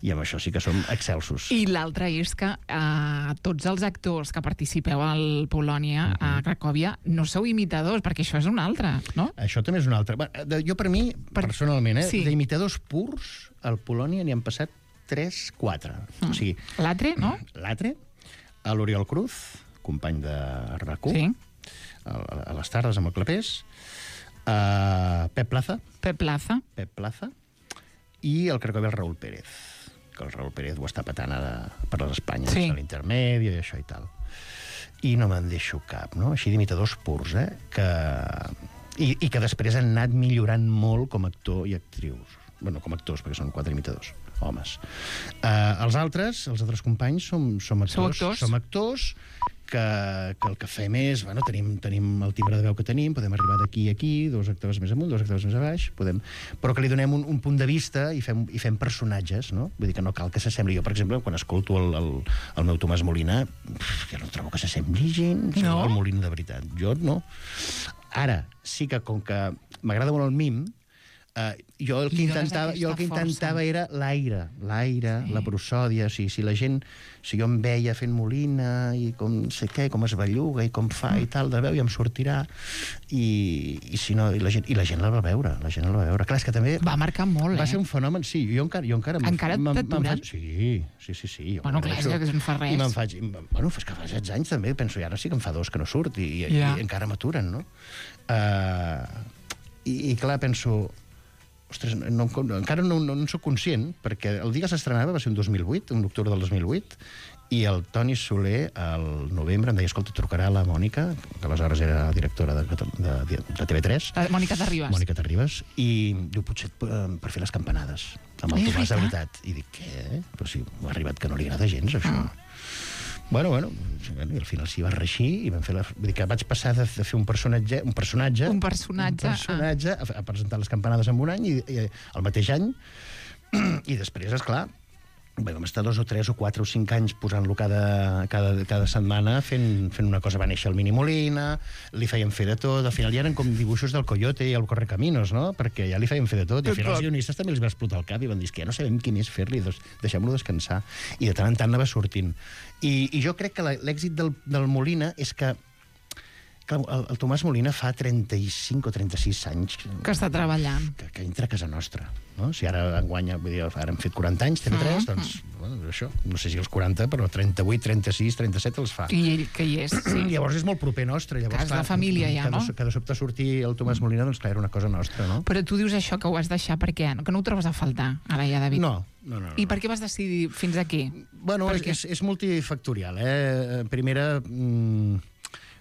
I amb això sí que som excelsos. I l'altre és que eh, tots els actors que participeu al Polònia, a Cracòvia, no sou imitadors, perquè això és un altre, no? Això també és un altre. Bé, de- Jo, per mi, Per- personalment, eh, sí. d'imitadors purs, al Polònia n'hi han passat tres, quatre. O sigui, L'altre, no? l'altre, a l'Oriol Cruz, company de RAC1, Sí. a, a les tardes amb el Clapés, a Pep Plaza, Pep Plaza. Pep Plaza, i el Cracòvia el Raúl Pérez, que el Raúl Pérez ho està patant ara per les Espanyes, Sí. a l'intermedi i això i tal. I no me'n deixo cap, no? Així d'imitadors purs, eh? Que... I, I que després han anat millorant molt com a actor i actrius. Bueno, com a actors, perquè són quatre imitadors, homes. Uh, els altres, els altres companys, som, som actors. Sou actors? Som actors que, que el que fem és, bueno, tenim, tenim el timbre de veu que tenim, podem arribar d'aquí a aquí, dos octaves més amunt, dos octaves més a baix, podem... però que li donem un, un punt de vista i fem, i fem personatges, no? Vull dir que no cal que s'assembli. Jo, per exemple, quan escolto el, el, el meu Tomàs Molina, pff, jo no trobo que s'assembli gens No? al Molina de veritat. Jo no. Ara, sí que com que m'agrada molt el mim, Uh, jo el que Li dones intentava, jo el que aquesta intentava força. era l'aire, l'aire, Sí. la prosòdia, o sigui, si la gent, si jo em veia fent Molina i com no sé què, com es belluga i com fa i tal de veu, i em sortirà, i, i si no, i la, gent, i la gent la va veure, la gent la va veure. Clar, és que també Va marcar molt, va eh? ser un fenomen, sí, jo encara... Jo encara, me'n- Encara me'n- me'n t'aturen? faig- Sí, sí, sí, sí. Jo Bueno, me'n clar, faig- és que no fa res. I me'n faig... i me'n- Bueno, és que fa setze anys també, penso, i ara sí que em fa dos que no surt, i, i, Ja. i encara m'aturen, no? Uh, i, I clar, penso... Ostres, no, no, encara no, no, no soc conscient, perquè el dia que s'estrenava va ser un dos mil vuit, un octubre del dos mil vuit, i el Toni Soler, al novembre, em deia, escolta, trucarà la Mònica, que aleshores era directora de, de, de, de T V tres, La Mònica Terribas. Mònica Terribas, i diu, potser eh, per fer les campanades, amb el És Tomàs de veritat? veritat. I dic, què? Però si m'ha arribat que no li agrada gens, això. Ah. Bueno, bueno, i al final s'hi va reixir i vam fer la... Vull dir que vaig passar de, de fer un personatge... Un personatge, Un personatge, un personatge a, a presentar les campanades en un any i, i el mateix any. I després, esclar, Bé, vam estar dos o tres o quatre o cinc anys posant-lo cada, cada, cada setmana fent, fent una cosa. Va néixer el Mini Molina, li feien fer de tot, al final ja eren com dibuixos del Coyote i el Correcaminos, no? Perquè ja li feien fer de tot, i al final els guionistes també els va explotar el cap i van dir que ja no sabem qui més fer-li, doncs deixem-lo descansar. I de tant en tant anava sortint. I, i jo crec que l'èxit del, del Molina és que el, el Tomàs Molina fa trenta-cinc o trenta-sis anys que està treballant, que, que entra a casa nostra, no? Si ara enguanya, vull dir, ara hem fet quaranta anys, T V tres, mm-hmm. doncs, bueno, això, no sé si els quaranta, però trenta-vuit, trenta-sis, trenta-set els fa. I ell que hi és, sí. Llavors és molt proper nostre. Llavors, clar, és la família ja, no? Que de sobte sortir el Tomàs Molina, doncs clar, era una cosa nostra, no? Però tu dius això, que ho vas deixar per què? Que no ho trobes a faltar, ara ja, David? No, no, no. no. I per què vas decidir fins aquí? Bueno, és, és, és multifactorial, eh? Primera... Mmm,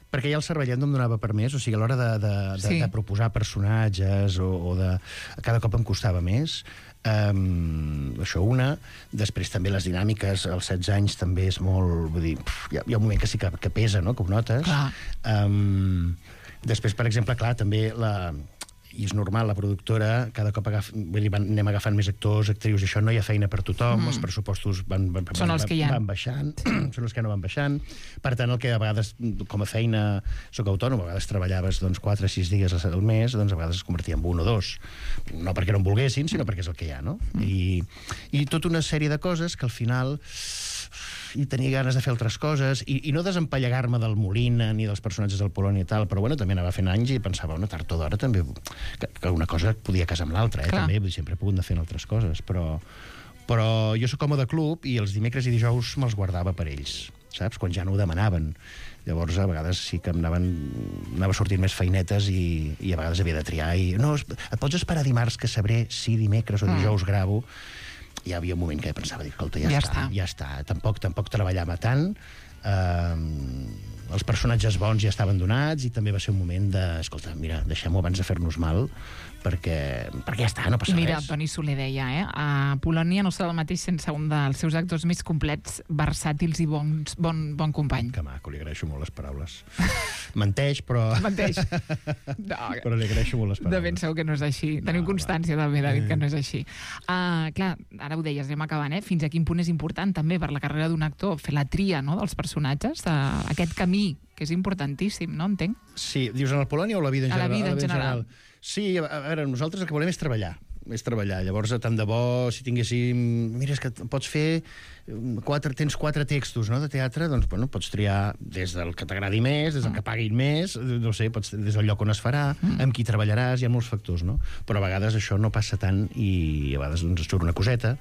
perquè ja el cervellet no em donava per més, o sigui, a l'hora de, de, de, sí. de proposar personatges o, o de... Cada cop em costava més. Um, això una. Després també les dinàmiques, als setze anys també és molt... Vull dir, pf, hi, ha, hi ha un moment que sí que, que pesa, no?, que ho notes. Clar. Um, després, per exemple, clar, també la... I és normal, la productora cada cop agaf, vull dir, van, anem agafant més actors, actrius, i això no hi ha feina per tothom, mm. els pressupostos van, van, van, són els que hi ha. van baixant, són els que no van baixant. Per tant, el que a vegades, com a feina, soc autònom, a vegades treballaves doncs, quatre o sis dies al mes, doncs a vegades es convertia en un o dos. No perquè no en volguessin, sinó perquè és el que hi ha, no? Mm. I, I tota una sèrie de coses que al final... i tenia ganes de fer altres coses, i, i no desempallegar-me del Molina ni dels personatges del Polònia i tal, però bueno, també anava fent anys i pensava, una tard o d'hora també, que, que una cosa podia casar amb l'altra, eh, també, sempre he pogut anar fent altres coses, però, però jo sóc home de club i els dimecres i dijous me'ls guardava per ells, saps? Quan ja no ho demanaven. Llavors, a vegades sí que em anaven, anava sortint més feinetes i, i a vegades havia de triar i, no, et pots esperar dimarts que sabré si dimecres o dijous mm. gravo. Hi havia un moment que pensava, dir, escolta, ja, ja està, està, ja està. Tampoc, tampoc treballava tant. Uh, els personatges bons ja estaven donats i també va ser un moment de, escolta, mira, deixem-ho abans de fer-nos mal, perquè, perquè ja està, no passa mira, res. Mira, Toni Soler deia, eh? A Polònia no serà el mateix sense un dels seus actors més complets, versàtils i bons, bon, bon company. Que maco, li agraeixo molt les paraules. Menteix, però... Menteix. No, però li agraeixo molt les paraules. De ben segur que no és així. Tenim no, constància va. també, David, que no és així. Uh, clar, ara ho deies, anem acabant, eh? Fins a quin punt és important també per la carrera d'un actor fer la tria, no?, dels personatges, uh, aquest camí, que és importantíssim, no? Entenc? Sí, dius en el Polònia o la vida en general? A la vida en general. Sí, a veure, nosaltres el que volem és treballar. és treballar. Llavors, tant de bo, si tinguéssim... Mira, és que pots fer... Quatre, tens quatre textos, no?, de teatre, doncs, bueno, pots triar des del que t'agradi més, des del que paguin més, no sé, pots, des del lloc on es farà, amb qui treballaràs, hi ha molts factors, no? Però a vegades això no passa tant i a vegades doncs, surt una coseta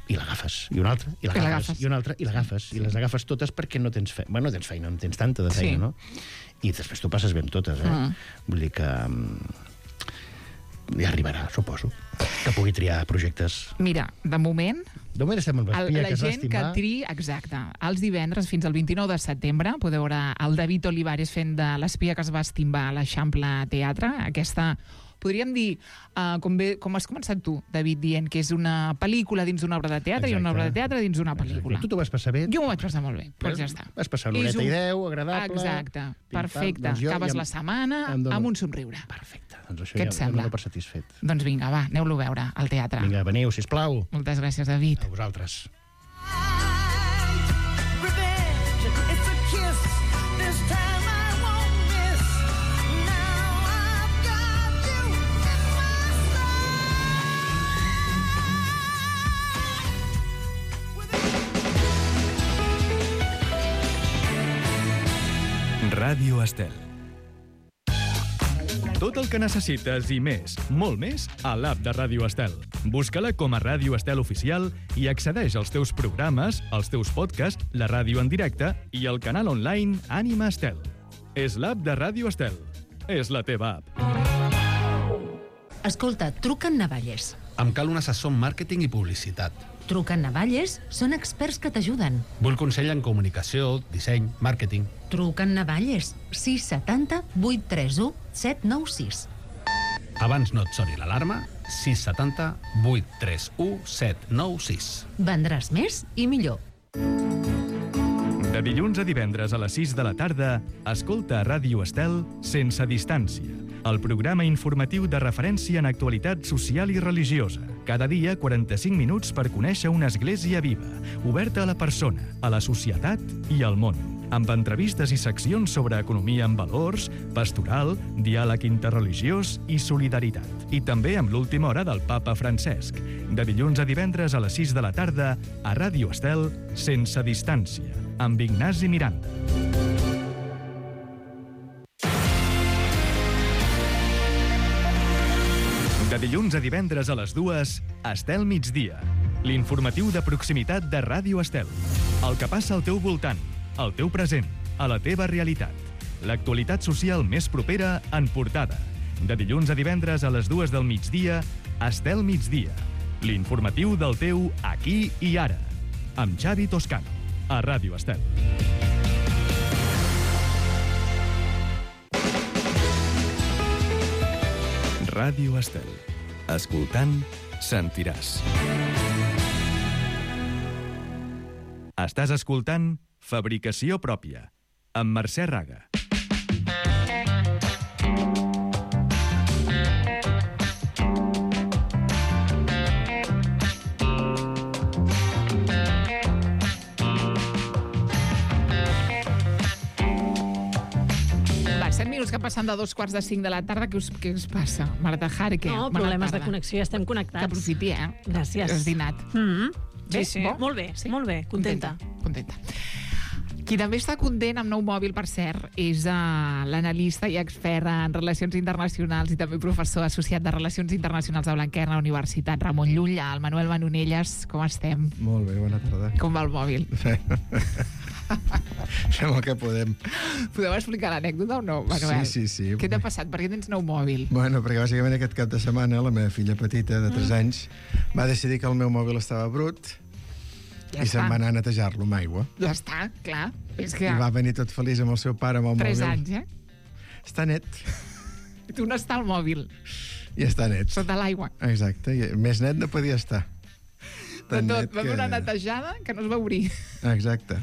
i l'agafes, i una altra, i l'agafes, i una altra, i l'agafes, i les agafes totes perquè no tens feina, bueno, no tens feina, no tens tanta de feina, sí. no? I després tu passes bé amb totes, eh? Mm. Vull dir que... ja arribarà, suposo, que pugui triar projectes. Mira, de moment... De moment estem amb l'espia que es va estimar. La gent que tri... Exacte. Els divendres, fins al vint-i-nou de setembre, podeu veure el David Olivares fent de l'espia que es va estimbar a l'Eixample Teatre. Aquesta... Podríem dir, uh, com, bé, com has començat tu, David, dient que és una pel·lícula dins d'una obra de teatre. Exacte. I una obra de teatre dins d'una pel·lícula. Exacte. Tu t'ho vas passar bé? Jo m'ho vaig passar molt bé, doncs ja està. Vas passar una horeta un... i deu, agradable... Exacte, perfecte. Doncs Acabes ja... la setmana dono... amb un somriure. Perfecte, doncs això Què ja et sembla? em dono per satisfet. Doncs vinga, va, aneu-lo a veure al teatre. Vinga, veniu, sisplau. Moltes gràcies, David. A vosaltres. Ràdio Estel. Tot el que necessites i més, molt més, a l'app de Ràdio Estel. Busca-la com a Ràdio Estel Oficial i accedeix als teus programes, als teus podcasts, la ràdio en directe i el canal online Ànima Estel. És l'app de Ràdio Estel. És la teva app. Escolta, truca en Navalles. Em cal un assessor en màrqueting i publicitat. Truca en Navalles, són experts que t'ajuden. Vull consell en comunicació, disseny, màrqueting. Truca en Navalles, sis setanta vuit tres u set nou sis. Abans no et soni l'alarma, sis setanta vuit tres u set nou sis. Vendràs més i millor. De dilluns a divendres a les sis de la tarda, escolta a Ràdio Estel Sense Distància, el programa informatiu de referència en actualitat social i religiosa. Cada dia, quaranta-cinc minuts per conèixer una església viva, oberta a la persona, a la societat i al món, amb entrevistes i seccions sobre economia amb valors, pastoral, diàleg interreligiós i solidaritat. I també amb l'última hora del papa Francesc, de dilluns a divendres a les sis de la tarda a Ràdio Estel, Sense Distància, amb Ignasi Miranda. De dilluns a divendres a les dues, Estel Migdia, l'informatiu de proximitat de Ràdio Estel. El que passa al teu voltant, al teu present, a la teva realitat. L'actualitat social més propera en portada. De dilluns a divendres a les dues del migdia, Estel Migdia, l'informatiu del teu aquí i ara, amb Xavi Toscano, a Ràdio Estel. Ràdio Estel. Escoltant, sentiràs. Estàs escoltant Fabricació Pròpia, amb Mercè Raga. set minuts que passen de dos quarts de cinc de la tarda. Què us, què us passa? Marta Jara, què? No, Bona problemes tarda. de connexió, ja estem connectats. Que aprofiti, eh? Gràcies. Has dinat. Mm-hmm. Bé? Sí, sí. Bo? Molt bé, Sí? molt bé, contenta. Contenta. Qui també està content amb nou mòbil, per cert, és uh, l'analista i expert en relacions internacionals i també professor associat de Relacions Internacionals de Blanquerna, Universitat Ramon Llull, el Manuel Manonelles. Com estem? Molt bé, bona tarda. Com va el mòbil? Fem el que podem. Podeu explicar l'anècdota o no, Manuel? Sí, sí, sí. Què t'ha passat? Per què tens nou mòbil? Bueno, perquè bàsicament aquest cap de setmana la meva filla petita, de tres anys, va decidir que el meu mòbil estava brut Ja i està. se'n va anar a netejar-lo amb aigua. Ja està, clar. És que... I va venir tot feliç amb el seu pare amb el Tres mòbil. anys, eh? Està net. I tu on està el mòbil? I està net. Sota l'aigua. Exacte. I més net no podia estar. De Tan tot, net va fer una netejada que no es va obrir. Exacte.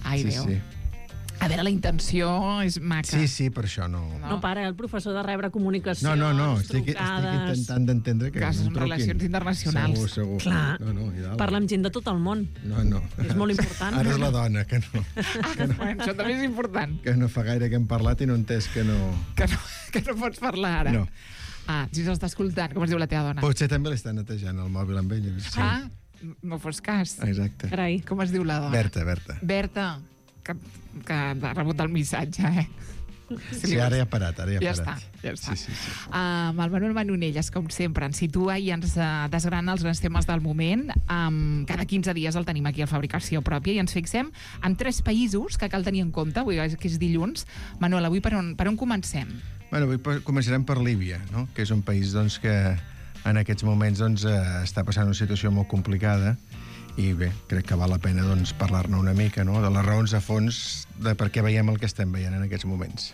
Ai, sí, Déu. sí. A veure, la intenció és maca. Sí, sí, per això no... No, no para, el professor de rebre comunicacions, No, no, no, estic, estic trucades... intentant d'entendre que... Que són no em truquin. relacions internacionals. Segur, segur. Clar, no, no, i dalt. parla amb gent de tot el món. No, no. És molt important. Ara és la dona, que no, Ah, bueno, això també és important. que no fa gaire que hem parlat i no he entès que no... Que no, que no pots parlar ara. No. Ah, si s'està escoltant, com es diu la teva dona? Potser també l'està netejant el mòbil amb ella. Sí. Ah, no fos cas. Exacte. Carai. Com es diu la dona? Berta, Berta. Berta, que, que ha rebut el missatge, eh? Sí, ara ja ha parat, ara ja ha Ja està, parat. ja està. Sí, sí, sí. Uh, amb el Manuel Manonelles, com sempre, ens situa i ens uh, desgrana els grans temes del moment. Um, cada quinze dies el tenim aquí a Fabricació Pròpia i ens fixem en tres països que cal tenir en compte, avui que és dilluns. Manuel, avui per on, per on comencem? Bueno, avui per- començarem per Líbia, no? Que és un país doncs, que en aquests moments doncs, eh, està passant una situació molt complicada i bé, crec que val la pena doncs, parlar-ne una mica, no? De les raons a fons de per què veiem el que estem veient en aquests moments.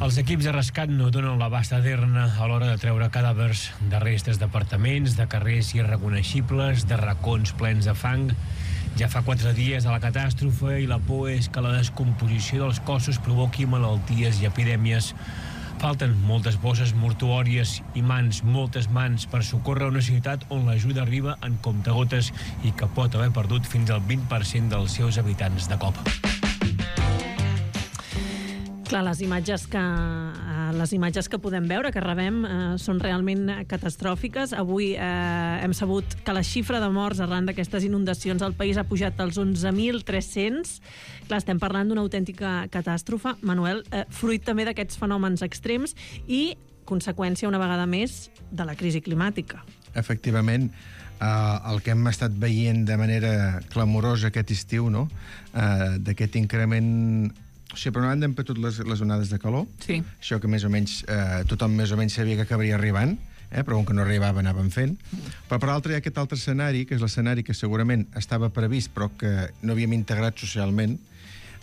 Els equips de rescat no donen l'abast a dir-ne a l'hora de treure cadàvers de restes d'apartaments, de carrers irreconeixibles, de racons plens de fang. Ja fa quatre dies de la catàstrofe i la por és que la descomposició dels cossos provoqui malalties i epidèmies. Falten moltes bosses mortuòries i mans, moltes mans, per socórrer una ciutat on l'ajuda arriba en comptagotes i que pot haver perdut fins al vint per cent dels seus habitants de cop. Clar, les imatges que, eh, les imatges que podem veure, que rebem, eh, són realment catastròfiques. Avui eh, hem sabut que la xifra de morts arran d'aquestes inundacions al país ha pujat als onze mil tres-cents. Clar, estem parlant d'una autèntica catàstrofe, Manuel, eh, fruit també d'aquests fenòmens extrems i conseqüència, una vegada més, de la crisi climàtica. Efectivament, eh, el que hem estat veient de manera clamorosa aquest estiu, no? eh, d'aquest increment... O sigui, per una banda hem petut les, les onades de calor, Sí. això que més o menys eh, tothom més o menys sabia que acabaria arribant, eh, però com que no arribava anàvem fent. Però per l'altre hi ha aquest altre escenari, que és l'escenari que segurament estava previst però que no havíem integrat socialment,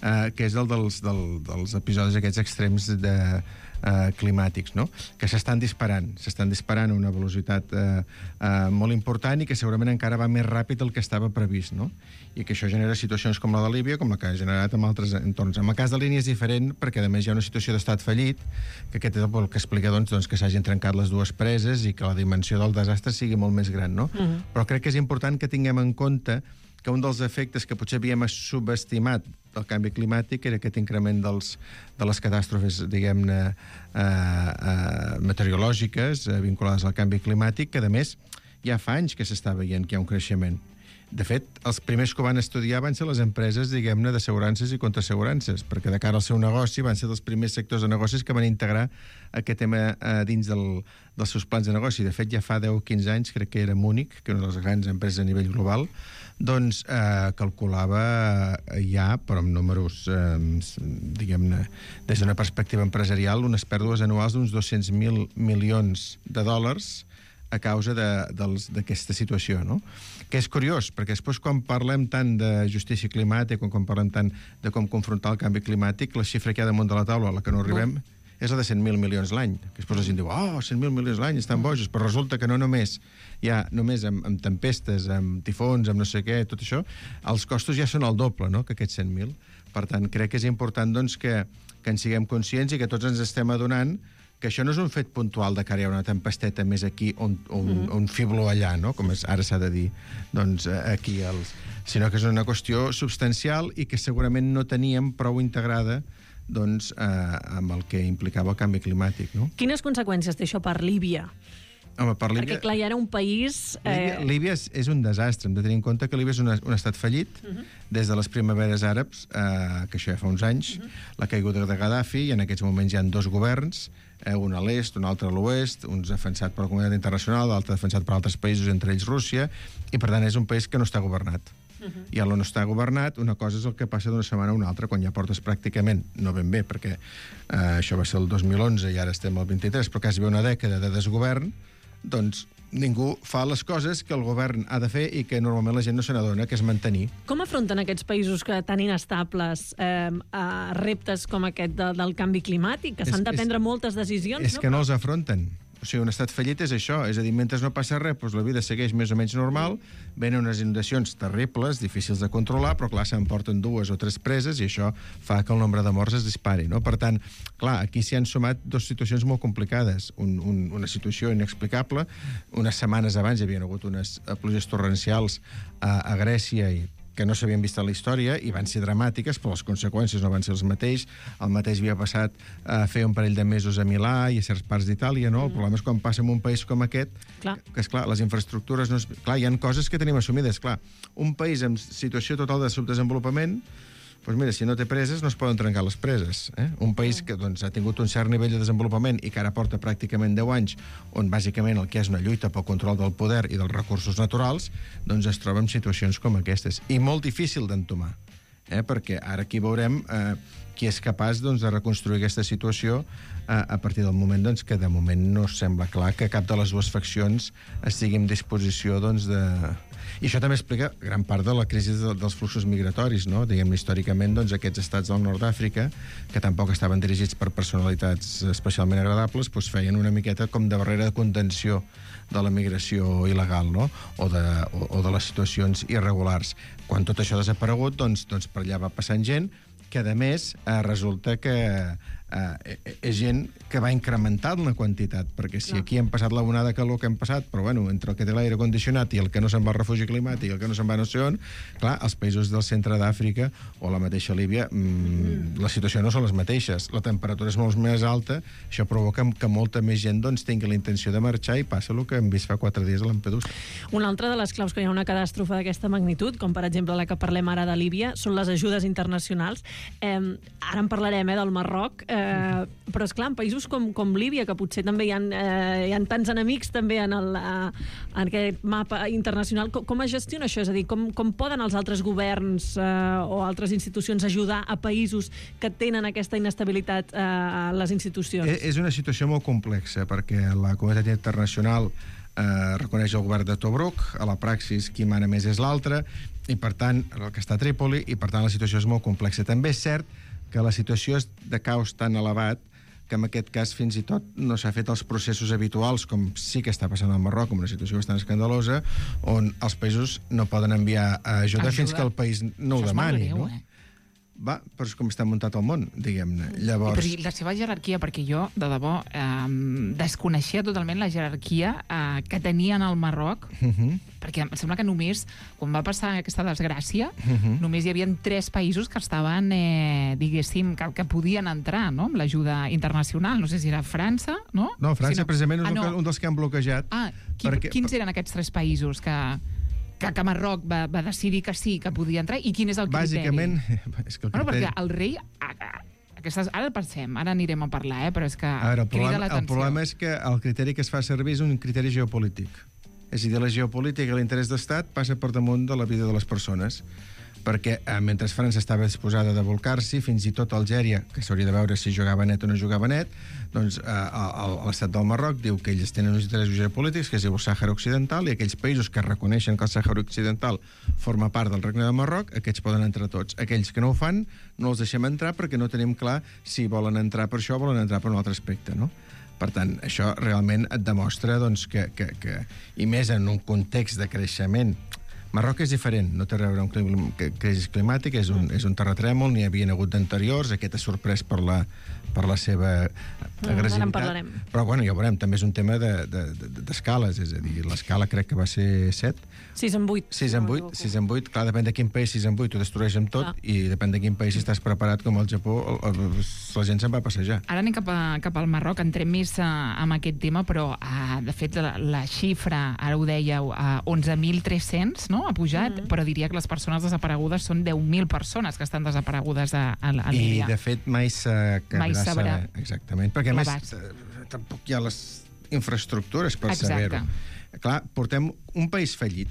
eh, que és el dels, del, dels episodis aquests extrems de, eh, climàtics, no? Que s'estan disparant, s'estan disparant a una velocitat eh, eh, molt important i que segurament encara va més ràpid del que estava previst, no? I que això genera situacions com la de Líbia, com la que ha generat en altres entorns. En el cas de Línia és diferent, perquè a més hi ha una situació d'estat fallit, que aquest és el que explica doncs, doncs, que s'hagin trencat les dues preses i que la dimensió del desastre sigui molt més gran, no? Uh-huh. Però crec que és important que tinguem en compte que un dels efectes que potser havíem subestimat del canvi climàtic era aquest increment dels, de les catàstrofes, diguem-ne, eh, eh, meteorològiques eh, vinculades al canvi climàtic, que, a més, ja fa anys que s'està veient que hi ha un creixement. De fet, els primers que ho van estudiar van ser les empreses, diguem-ne, d'assegurances i contraassegurances, perquè de cara al seu negoci van ser dels primers sectors de negocis que van integrar aquest tema eh, dins del, dels seus plans de negoci. De fet, ja fa deu o quinze anys, crec que era Múnich, que és una de les grans empreses a nivell global, doncs eh, calculava ja, però amb números, eh, diguem-ne, des d'una perspectiva empresarial, unes pèrdues anuals d'uns dos-cents mil milions de dòlars a causa d'aquesta situació, no? Que és curiós, perquè després quan parlem tant de justícia climàtica, quan, quan parlem tant de com confrontar el canvi climàtic, la xifra que hi ha damunt de la taula, a la que no arribem, és la de cent mil milions l'any. Que després la gent diu, oh, cent mil milions l'any, estan bojos, però resulta que no només hi ha només amb, amb tempestes, amb tifons, amb no sé què, tot això, els costos ja són el doble, no?, que aquests cent mil. Per tant, crec que és important doncs, que, que en siguem conscients i que tots ens estem adonant que això no és un fet puntual de que ara hi ha una tempesteta més aquí o un, un, un fibló allà, no? Com és, ara s'ha de dir, doncs, aquí, els... sinó que és una qüestió substancial i que segurament no teníem prou integrada doncs, eh, amb el que implicava el canvi climàtic, no? Quines conseqüències té això per Líbia? Home, per Líbia... Perquè, clar, hi era un país... Eh... Líbia, Líbia és, és un desastre. Hem de tenir en compte que Líbia és un, un estat fallit uh -huh. des de les primaveres àrabs, eh, que això ja fa uns anys, uh -huh. la caiguda de Gaddafi, i en aquests moments hi ha dos governs, eh, un a l'est, un altre a l'oest, un defensat per la comunitat internacional, l'altre defensat per altres països, entre ells Rússia, i per tant és un país que no està governat. Uh -huh. I on no està governat, una cosa és el que passa d'una setmana a una altra, quan ja portes pràcticament, no ben bé, perquè eh, això va ser el dos mil onze i ara estem al vint-i-tres, però quasi bé una dècada de desgovern, doncs ningú fa les coses que el govern ha de fer i que normalment la gent no se n'adona, que és mantenir. Com afronten aquests països que tan inestables eh, a reptes com aquest de, del canvi climàtic, que s'han de prendre és, moltes decisions? És no? que no els afronten. O sigui, un estat fallit és això, és a dir, mentre no passa res, doncs la vida segueix més o menys normal, venen unes inundacions terribles, difícils de controlar, però clar, s'emporten dues o tres preses i això fa que el nombre de morts es dispari, no? Per tant, clar, aquí s'hi han sumat dues situacions molt complicades. Un, un, una situació inexplicable, unes setmanes abans hi havia hagut unes pluges torrencials a, a Grècia i que no s'havien vist a la història i van ser dramàtiques, però les conseqüències no van ser els mateix. El mateix havia passat a fer un parell de mesos a Milà i a certs parts d'Itàlia, no? Mm. El problema és quan passa en un país com aquest, clar. que, és clar, les infraestructures... No és... Clar, hi ha coses que tenim assumides, clar. Un país en situació total de subdesenvolupament, doncs mira, si no té preses, no es poden trencar les preses. Eh? Un país que doncs, ha tingut un cert nivell de desenvolupament i que ara porta pràcticament deu anys, on bàsicament el que és una lluita pel control del poder i dels recursos naturals, doncs es troba en situacions com aquestes. I molt difícil d'entomar, eh? Perquè ara aquí veurem eh, qui és capaç doncs, de reconstruir aquesta situació eh, a partir del moment doncs, que de moment no sembla clar que cap de les dues faccions estigui en disposició doncs, de... I això també explica gran part de la crisi de, dels fluxos migratoris, no? Diguem-ne, històricament, doncs, aquests estats del nord d'Àfrica, que tampoc estaven dirigits per personalitats especialment agradables, doncs feien una miqueta com de barrera de contenció de la migració il·legal, no? O de, o, o de les situacions irregulars. Quan tot això ha desaparegut, doncs, doncs per allà va passant gent que, a més, eh, resulta que eh, és gent que va incrementant la quantitat, perquè si aquí hem passat la onada de calor que hem passat, però bueno, entre el que té l'aire condicionat i el que no se'n va al refugi climàtic i el que no se'n va no sé on, clar, els països del centre d'Àfrica o la mateixa Líbia, mmm, la situació no són les mateixes. La temperatura és molt més alta, això provoca que molta més gent doncs, tingui la intenció de marxar i passa el que hem vist fa quatre dies a Lampedusa. Una altra de les claus que hi ha una catàstrofe d'aquesta magnitud, com per exemple la que parlem ara de Líbia, són les ajudes internacionals. Eh, ara en parlarem eh, del Marroc, eh, però és clar, en països com, com Líbia, que potser també hi ha, eh, hi ha tants enemics també en, el, eh, en aquest mapa internacional, com, com es gestiona això? És a dir, com, com poden els altres governs eh, o altres institucions ajudar a països que tenen aquesta inestabilitat eh, a les institucions? És una situació molt complexa, perquè la comunitat internacional eh, reconeix el govern de Tobruk, a la praxis qui mana més és l'altre, i per tant, el que està a Trípoli, i per tant la situació és molt complexa. També és cert que la situació és de caos tan elevat que en aquest cas fins i tot no s'ha fet els processos habituals, com sí que està passant al Marroc, com una situació bastant escandalosa, on els països no poden enviar ajuda, ajuda. fins que el país no ho demani. Greu, no? Eh? Va, però és com està muntat el món, diguem-ne. Llavors... Però la seva jerarquia, perquè jo, de debò, eh, desconeixia totalment la jerarquia eh, que tenien al Marroc, uh -huh. perquè em sembla que només, quan va passar aquesta desgràcia, uh -huh. només hi havia tres països que estaven, eh, diguéssim, que, que podien entrar, no?, amb l'ajuda internacional. No sé si era França, no? No, França, si no... precisament, és ah, no. un dels que han bloquejat. Ah, qui, perquè... quins eren aquests tres països que... que, que Marroc va, va decidir que sí, que podia entrar, i quin és el criteri? Bàsicament, és que el bueno, criteri... perquè el rei... Aquestes, ara pensem, ara anirem a parlar, eh, però és que a veure, el crida problema, l'atenció. El problema és que el criteri que es fa servir és un criteri geopolític. És a dir, la geopolítica i l'interès d'estat passa per damunt de la vida de les persones. Perquè eh, mentre França estava disposada de volcar-s'hi, fins i tot Algèria, que s'hauria de veure si jugava net o no jugava net, doncs eh, l'estat del Marroc diu que ells tenen uns interessos geopolítics, que és el Sàhara Occidental, i aquells països que reconeixen que el Sàhara Occidental forma part del Regne de Marroc, aquests poden entrar tots. Aquells que no ho fan, no els deixem entrar perquè no tenim clar si volen entrar per això o volen entrar per un altre aspecte, no? Per tant, això realment et demostra doncs, que, que, que, i més en un context de creixement. Marroc és diferent, no té a veure amb clim, crisi climàtica, és un, és un terratrèmol, n'hi havia hagut d'anteriors, aquest ha sorprès per la, per la seva agressivitat. Ara en parlarem. Però, bueno, ja ho veurem, també és un tema d'escales, de, de, de, és a dir, l'escala crec que va ser set. sis en vuit. sis en vuit, sis en vuit, clar, depèn de quin país, sis en vuit ho destrueix amb tot, clar. I depèn de quin país, si estàs preparat com el Japó, el, el, la gent se'n va passejar. Ara anem cap, a, cap al Marroc, entrem més uh, amb aquest tema, però, uh, de fet, la, la xifra, ara ho dèieu, uh, onze mil tres-cents, no?, ha pujat, mm -hmm. però diria que les persones desaparegudes són deu mil persones que estan desaparegudes a, a, a Líbia. I, de fet, mai s'acabarà saber. Exactament, perquè, a més, tampoc hi ha les infraestructures per saber-ho. Clar, portem un país fallit.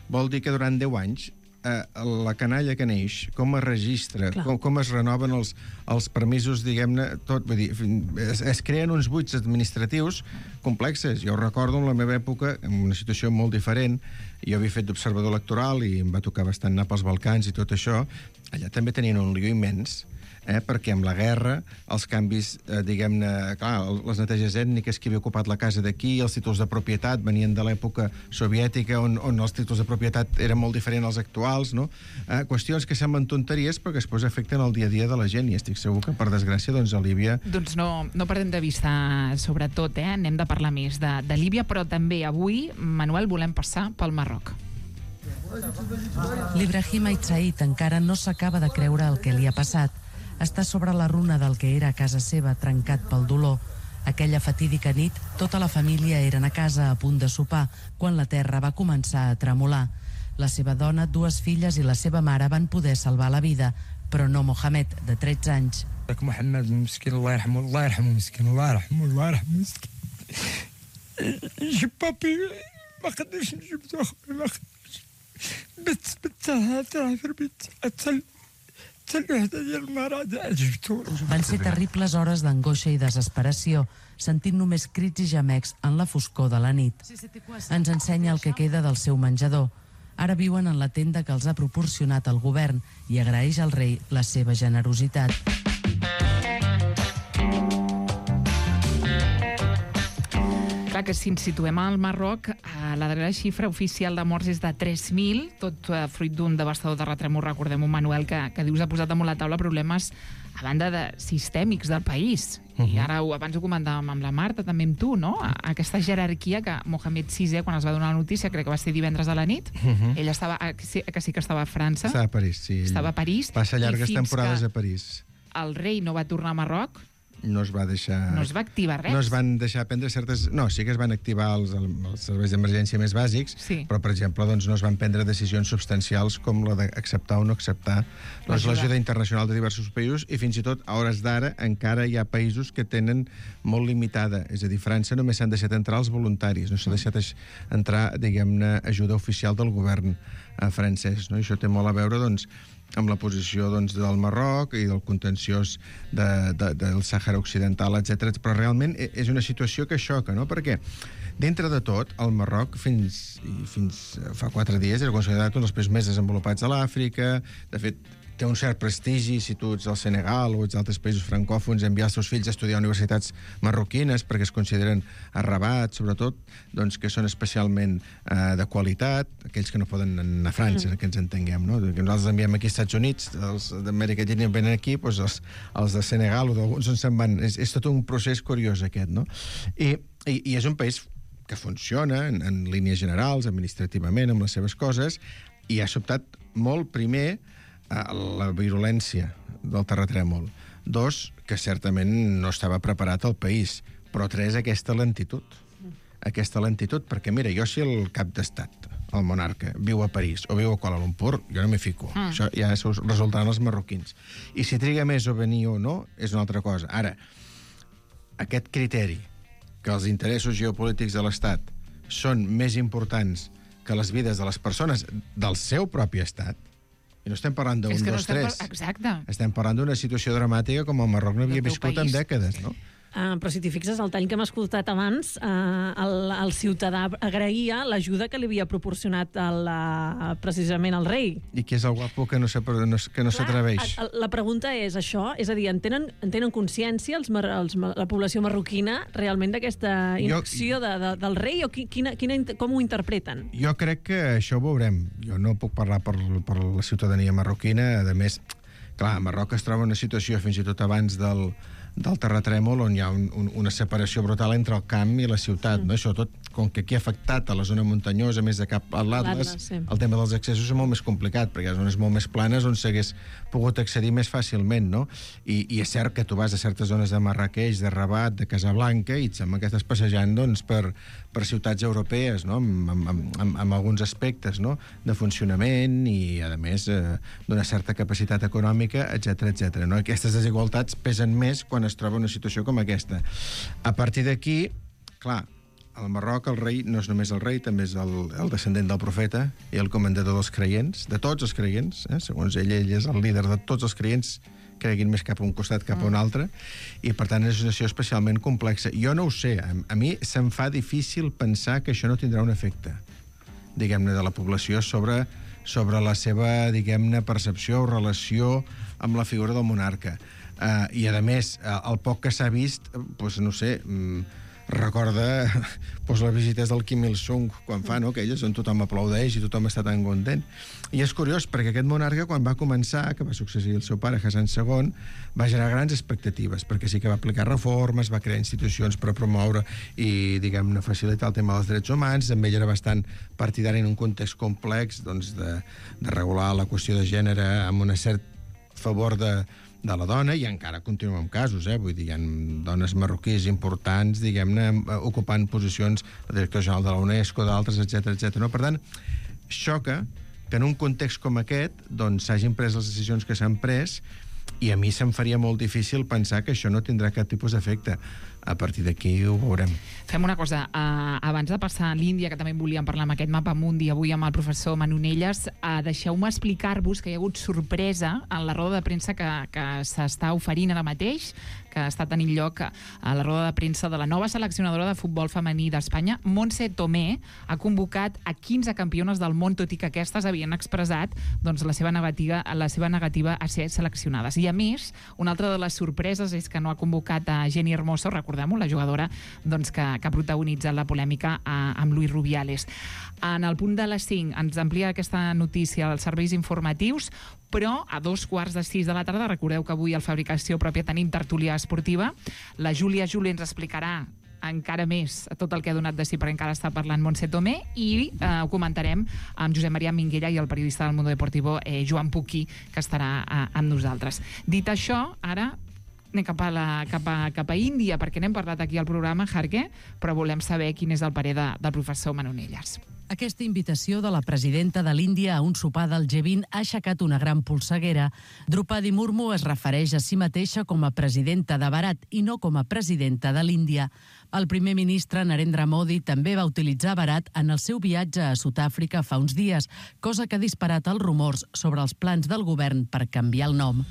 Vol dir que durant deu anys eh, la canalla que neix, com es registra, com, com es renoven els, els permisos, diguem-ne, tot, vull dir, es, es creen uns buits administratius complexes. Jo recordo en la meva època, en una situació molt diferent, jo havia fet d'observador electoral i em va tocar bastant anar pels Balcans i tot això, allà també tenien un lío immens, eh, perquè amb la guerra, els canvis, eh, diguem-ne, clar, les neteges ètniques, qui havia ocupat la casa d'aquí, els títols de propietat venien de l'època soviètica, on, on els títols de propietat eren molt diferents als actuals, no? Eh, qüestions que semblen tonteries, però que després afecten el dia a dia de la gent, i estic segur que, per desgràcia, doncs a Líbia... Doncs no, no perdem de vista, sobretot, eh? Anem de parlar més de, de Líbia, però també avui, Manuel, volem passar pel Marroc. L'Ibrahim Aitsaid encara no s'acaba de creure el que li ha passat. Està sobre la runa del que era a casa seva, trencat pel dolor. Aquella fatídica nit, tota la família eren a casa a punt de sopar, quan la terra va començar a tremolar. La seva dona, dues filles i la seva mare van poder salvar la vida, però no Mohamed, de tretze anys. Mohamed, miskin, Allah yarhamu, Allah yarhamu, miskin, Allah yarhamu, Allah yarhamu, miskin. جيب بابي ما قدرش نجيب اخويا ما قدرش بت بت تاع في البيت اتسل Van ser terribles hores d'angoixa i desesperació, sentint només crits i gemecs en la foscor de la nit. Ens ensenya el que queda del seu menjador. Ara viuen en la tenda que els ha proporcionat el govern i agraeix al rei la seva generositat. Clar que si ens situem al Marroc, la darrera xifra oficial de morts és de tres mil, tot fruit d'un devastador terratrèmol. Recordem un Manuel que, que dius ha posat damunt la taula problemes a banda de sistèmics del país. Uh-huh. I ara abans ho comentàvem amb la Marta, també amb tu, no? Aquesta jerarquia que Mohamed sisè, quan es va donar la notícia, crec que va ser divendres a la nit, uh-huh. ell estava, que sí, que sí que estava a França. Estava a París, sí. Estava a París. Passa llargues temporades a París. El rei no va tornar a Marroc, no es va deixar... No es va activar res. No es van deixar prendre certes... No, sí que es van activar els, els serveis d'emergència més bàsics, sí. Però, per exemple, doncs, no es van prendre decisions substancials com la d'acceptar o no acceptar l'ajuda internacional de diversos països, i fins i tot, a hores d'ara, encara hi ha països que tenen molt limitada. És a dir, França només s'han deixat entrar els voluntaris, no s'ha deixat entrar, diguem-ne, ajuda oficial del govern francès, no? I això té molt a veure, doncs, amb la posició doncs, del Marroc i del contenciós de, de, del Sàhara Occidental, etcètera. Però realment és una situació que xoca, no? Perquè dintre de tot, el Marroc fins, fins fa quatre dies era considerat un dels països més desenvolupats de l'Àfrica. De fet, té un cert prestigi si tu ets al Senegal o ets altres països francòfons, enviar els seus fills a estudiar a universitats marroquines perquè es consideren a Rabat, sobretot, doncs, que són especialment eh, de qualitat, aquells que no poden anar a França, mm. que ens entenguem, no? Que nosaltres enviem aquí als Estats Units, els d'Amèrica Llatina venen aquí, doncs els, els de Senegal o d'alguns on se'n van. És, és tot un procés curiós, aquest, no? I, i, i és un país que funciona en, en línies generals, administrativament, amb les seves coses, i ha sobtat molt primer la virulència del terratrèmol. Dos, que certament no estava preparat el país. Però tres, aquesta lentitud. Aquesta lentitud, perquè mira, jo si el cap d'estat, el monarca, viu a París o viu a Kuala Lumpur, jo no m'hi fico. Mm. Això ja resultaran els marroquins. I si triga més o venir o no, és una altra cosa. Ara, aquest criteri que els interessos geopolítics de l'Estat són més importants que les vides de les persones del seu propi estat, i no estem parlant d'un, no dos, tres. Par... Exacte. Estem parlant d'una situació dramàtica com el Marroc no havia viscut país. En dècades, no? Uh, però si t'hi fixes, el tall que hem escoltat abans, uh, el, el ciutadà agraïa l'ajuda que li havia proporcionat el, uh, precisament el rei. I qui és el guapo que no s'atreveix? No, la pregunta és això, és a dir, en tenen, en tenen consciència els, els, la població marroquina realment d'aquesta inacció de, de, del rei o qui, quina, quina, com ho interpreten? Jo crec que això ho veurem. Jo no puc parlar per, per la ciutadania marroquina. A més, clar, Marroc es troba en una situació fins i tot abans del del terratrèmol on hi ha un, un, una separació brutal entre el camp i la ciutat, mm. no? Això tot, com que aquí ha afectat a la zona muntanyosa, més de cap a l'Atlas, sí. El tema dels accessos és molt més complicat, perquè hi ha zones molt més planes on s'hagués pogut accedir més fàcilment, no? I, i és cert que tu vas a certes zones de Marrakeix, de Rabat, de Casablanca, i et sembla que estàs passejant, doncs, per, per ciutats europees, no? Amb, amb, amb, amb alguns aspectes, no? De funcionament i, a més, eh, d'una certa capacitat econòmica, etcètera, etcètera, no? Aquestes desigualtats pesen més quan es troba una situació com aquesta. A partir d'aquí, clar, al Marroc el rei no és només el rei, també és el, el descendent del profeta i el comandador dels creients, de tots els creients, eh? Segons ell, ell és el líder de tots els creients, creguin més cap a un costat cap a un altre, i per tant és una situació especialment complexa. Jo no ho sé, a, a mi se'm fa difícil pensar que això no tindrà un efecte, diguem-ne, de la població sobre, sobre la seva, diguem-ne, percepció o relació amb la figura del monarca. Uh, I, a més, uh, el poc que s'ha vist, doncs, no sé, um, recorda pues, les visites del Kim Il-sung quan fa, no?, aquelles on tothom aplaudeix i tothom està tan content. I és curiós, perquè aquest monarca, quan va començar, que va succeir el seu pare, Hassan segon, va generar grans expectatives, perquè sí que va aplicar reformes, va crear institucions per promoure i, diguem-ne, facilitar el tema dels drets humans. També ell era bastant partidari en un context complex, doncs, de, de regular la qüestió de gènere amb un cert favor de de la dona, i encara continua amb casos, eh? Vull dir, hi ha dones marroquís importants, diguem-ne, ocupant posicions de director general de la UNESCO, d'altres, etcètera, etcètera. No? Per tant, xoca que en un context com aquest doncs s'hagin pres les decisions que s'han pres, i a mi se'm faria molt difícil pensar que això no tindrà cap tipus d'efecte. A partir d'aquí ho veurem. Fem una cosa, uh, abans de passar a l'Índia, que també volíem parlar amb aquest mapa mundi avui amb el professor Manonelles, uh, deixeu-me explicar-vos que hi ha hagut sorpresa en la roda de premsa que, que s'està oferint ara mateix, que està tenint lloc a la roda de premsa de la nova seleccionadora de futbol femení d'Espanya. Montse Tomé ha convocat a quinze campiones del món, tot i que aquestes havien expressat doncs, la, seva negativa, la seva negativa a ser seleccionades. I a més, una altra de les sorpreses és que no ha convocat a Jenny Hermoso, recordem-ho, la jugadora doncs, que, que ha protagonitzat la polèmica a, amb Luis Rubiales. En el punt de les cinc ens amplia aquesta notícia als serveis informatius, però a dos quarts de sis de la tarda, recordeu que avui al Fabricació Pròpia tenim tertúlia esportiva, la Júlia Juli ens explicarà encara més tot el que ha donat de si, perquè encara està parlant Montse Tomé, i eh, ho comentarem amb Josep Maria Minguella i el periodista del Mundo Deportivo, eh, Joan Puquí, que estarà eh, amb nosaltres. Dit això, ara anem cap a, la, cap a, cap a Índia, perquè n'hem parlat aquí al programa, Jarque, però volem saber quin és el parer de, del professor Manonelles. Aquesta invitació de la presidenta de l'Índia a un sopar del G vint ha aixecat una gran polseguera. Drupadi Murmu es refereix a si mateixa com a presidenta de Bharat i no com a presidenta de l'Índia. El primer ministre Narendra Modi també va utilitzar Bharat en el seu viatge a Sud-àfrica fa uns dies, cosa que ha disparat els rumors sobre els plans del govern per canviar el nom.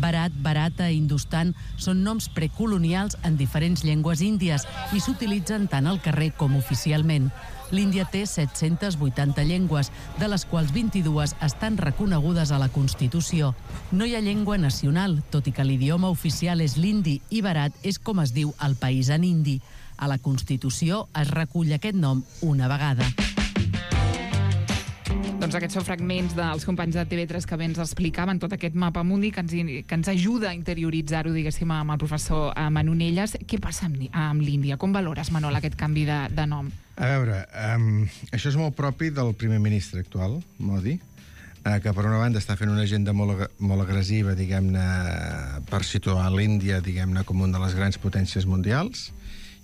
Bharat, Bharata i Hindustan són noms precolonials en diferents llengües índies i s'utilitzen tant al carrer com oficialment. L'Índia té set-centes vuitanta llengües, de les quals vint-i-dues estan reconegudes a la Constitució. No hi ha llengua nacional, tot i que l'idioma oficial és l'hindi i Bharat és com es diu al país en hindi. A la Constitució es recull aquest nom una vegada. Doncs aquests són fragments dels companys de T V tres que bé ens explicaven tot aquest mapa mundi que ens, que ens ajuda a interioritzar-ho, diguéssim, amb el professor Manonelles. Què passa amb, amb l'Índia? Com valores, Manol, aquest canvi de, de nom? A veure, um, això és molt propi del primer ministre actual, Modi, uh, que per una banda està fent una agenda molt, molt agressiva, diguem-ne, per situar l'Índia, diguem-ne, com una de les grans potències mundials,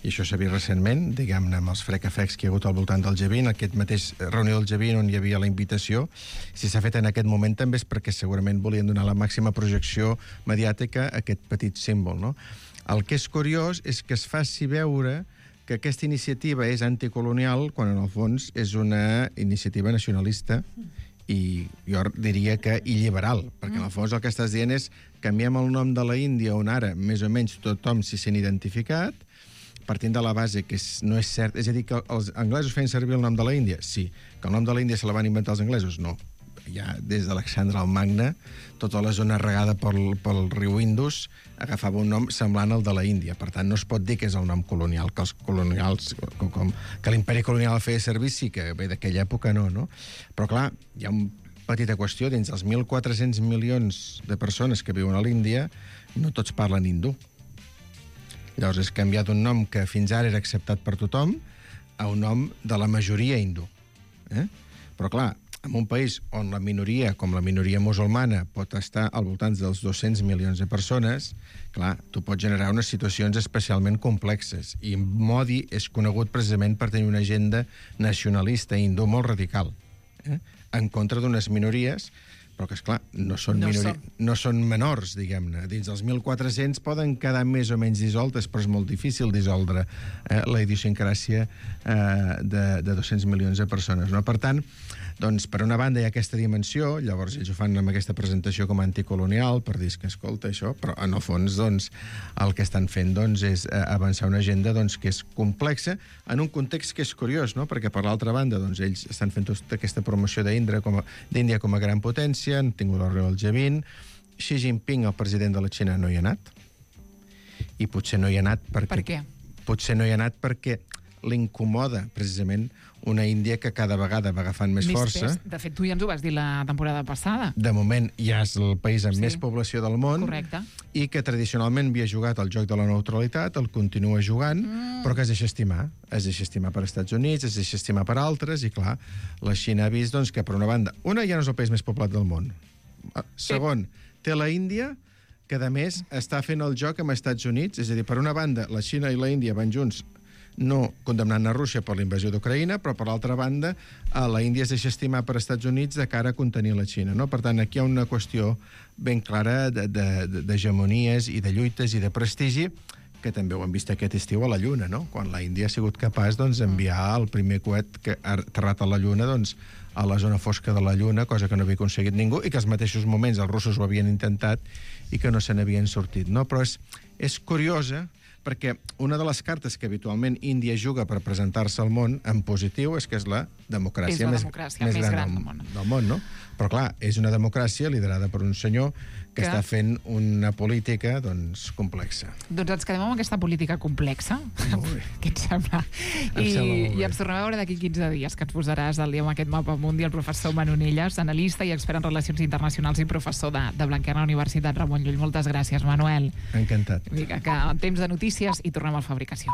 i això s'ha vist recentment, diguem-ne, amb els frec-afecs que hi ha hagut al voltant del G vint, aquest mateix reunió del G vint on hi havia la invitació. Si s'ha fet en aquest moment també és perquè segurament volien donar la màxima projecció mediàtica a aquest petit símbol, no? El que és curiós és que es faci veure que aquesta iniciativa és anticolonial quan en el fons és una iniciativa nacionalista i jo diria que il·liberal, perquè en el fons el que estàs dient és canviem el nom de la Índia on ara més o menys tothom s'hi sent identificat, partint de la base que és, no és cert, és a dir, que els anglesos feien servir el nom de la Índia? Sí. Que el nom de la Índia se la van inventar els anglesos? No. Ja des d'Alexandre el Magne, tota la zona regada pel, pel riu Indus agafava un nom semblant al de la Índia. Per tant, no es pot dir que és el nom colonial, que els colonials, com, com, que l'imperi colonial feia servir, sí que bé, d'aquella època no, no? Però clar, hi ha una petita qüestió, dins dels mil quatre-cents milions de persones que viuen a l'Índia, no tots parlen hindú. Llavors és canviat un nom que fins ara era acceptat per tothom a un nom de la majoria hindú. Eh? Però clar, en un país on la minoria, com la minoria musulmana, pot estar al voltant dels dos-cents milions de persones, clar, tu pots generar unes situacions especialment complexes. I Modi és conegut precisament per tenir una agenda nacionalista hindú molt radical, eh? En contra d'unes minories, però que, esclar, no són, no, minori... som. no són menors, diguem-ne. Dins dels mil quatre-cents poden quedar més o menys dissoltes, però és molt difícil dissoldre eh, la idiosincràsia eh, de, de dos-cents milions de persones, no? Per tant, doncs, per una banda hi ha aquesta dimensió, llavors ells ho fan amb aquesta presentació com a anticolonial, per dir que, escolta, això, però en el fons, doncs, el que estan fent, doncs, és eh, avançar una agenda, doncs, que és complexa, en un context que és curiós, no? Perquè, per l'altra banda, doncs, ells estan fent tota aquesta promoció d'Índia com, a, com a gran potència, han tingut la reunió del G vint, Xi Jinping, el president de la Xina, no hi ha anat, i potser no hi ha anat perquè... Per què? Potser no hi ha anat perquè l'incomoda, precisament, una Índia que cada vegada va agafant més, més força. Pes. De fet, tu ja ens ho vas dir la temporada passada. De moment ja és el país amb sí. més població del món. Correcte. I que tradicionalment havia jugat el joc de la neutralitat, el continua jugant, mm. però que es deixa estimar. Es deixa estimar per Estats Units, es deixa estimar per altres, i clar, la Xina ha vist doncs, que per una banda, una ja no és el país més poblat del món. Segon, té la Índia, que a més està fent el joc amb Estats Units, és a dir, per una banda, la Xina i la Índia van junts no condemnant a Rússia per la invasió d'Ucraïna, però per l'altra banda la Índia es deixa estimar per Estats Units de cara a contenir la Xina, no? Per tant, aquí hi ha una qüestió ben clara d'hegemonies i de lluites i de prestigi, que també ho hem vist aquest estiu a la Lluna, no? Quan la Índia ha sigut capaç d'enviar doncs, el primer coet que ha aterrat a la Lluna doncs, a la zona fosca de la Lluna, cosa que no havia aconseguit ningú, i que als mateixos moments els russos ho havien intentat i que no se n'havien sortit, no? Però és, és curiosa, perquè una de les cartes que habitualment Índia juga per presentar-se al món en positiu és que és la democràcia, és la més, democràcia més, més gran, gran del, del món. del món, no? Però clar, és una democràcia liderada per un senyor que, que està fent una política, doncs, complexa. Doncs ens quedem amb aquesta política complexa. Què et sembla? I, I ens tornem a veure d'aquí quinze dies, que ens posaràs al dia amb aquest mapa mundi el professor Manonelles, analista i expert en relacions internacionals i professor de, de Blanquerna, Universitat Ramon Llull. Moltes gràcies, Manuel. Encantat. Vinga, que temps de notícies i tornem a la fabricació.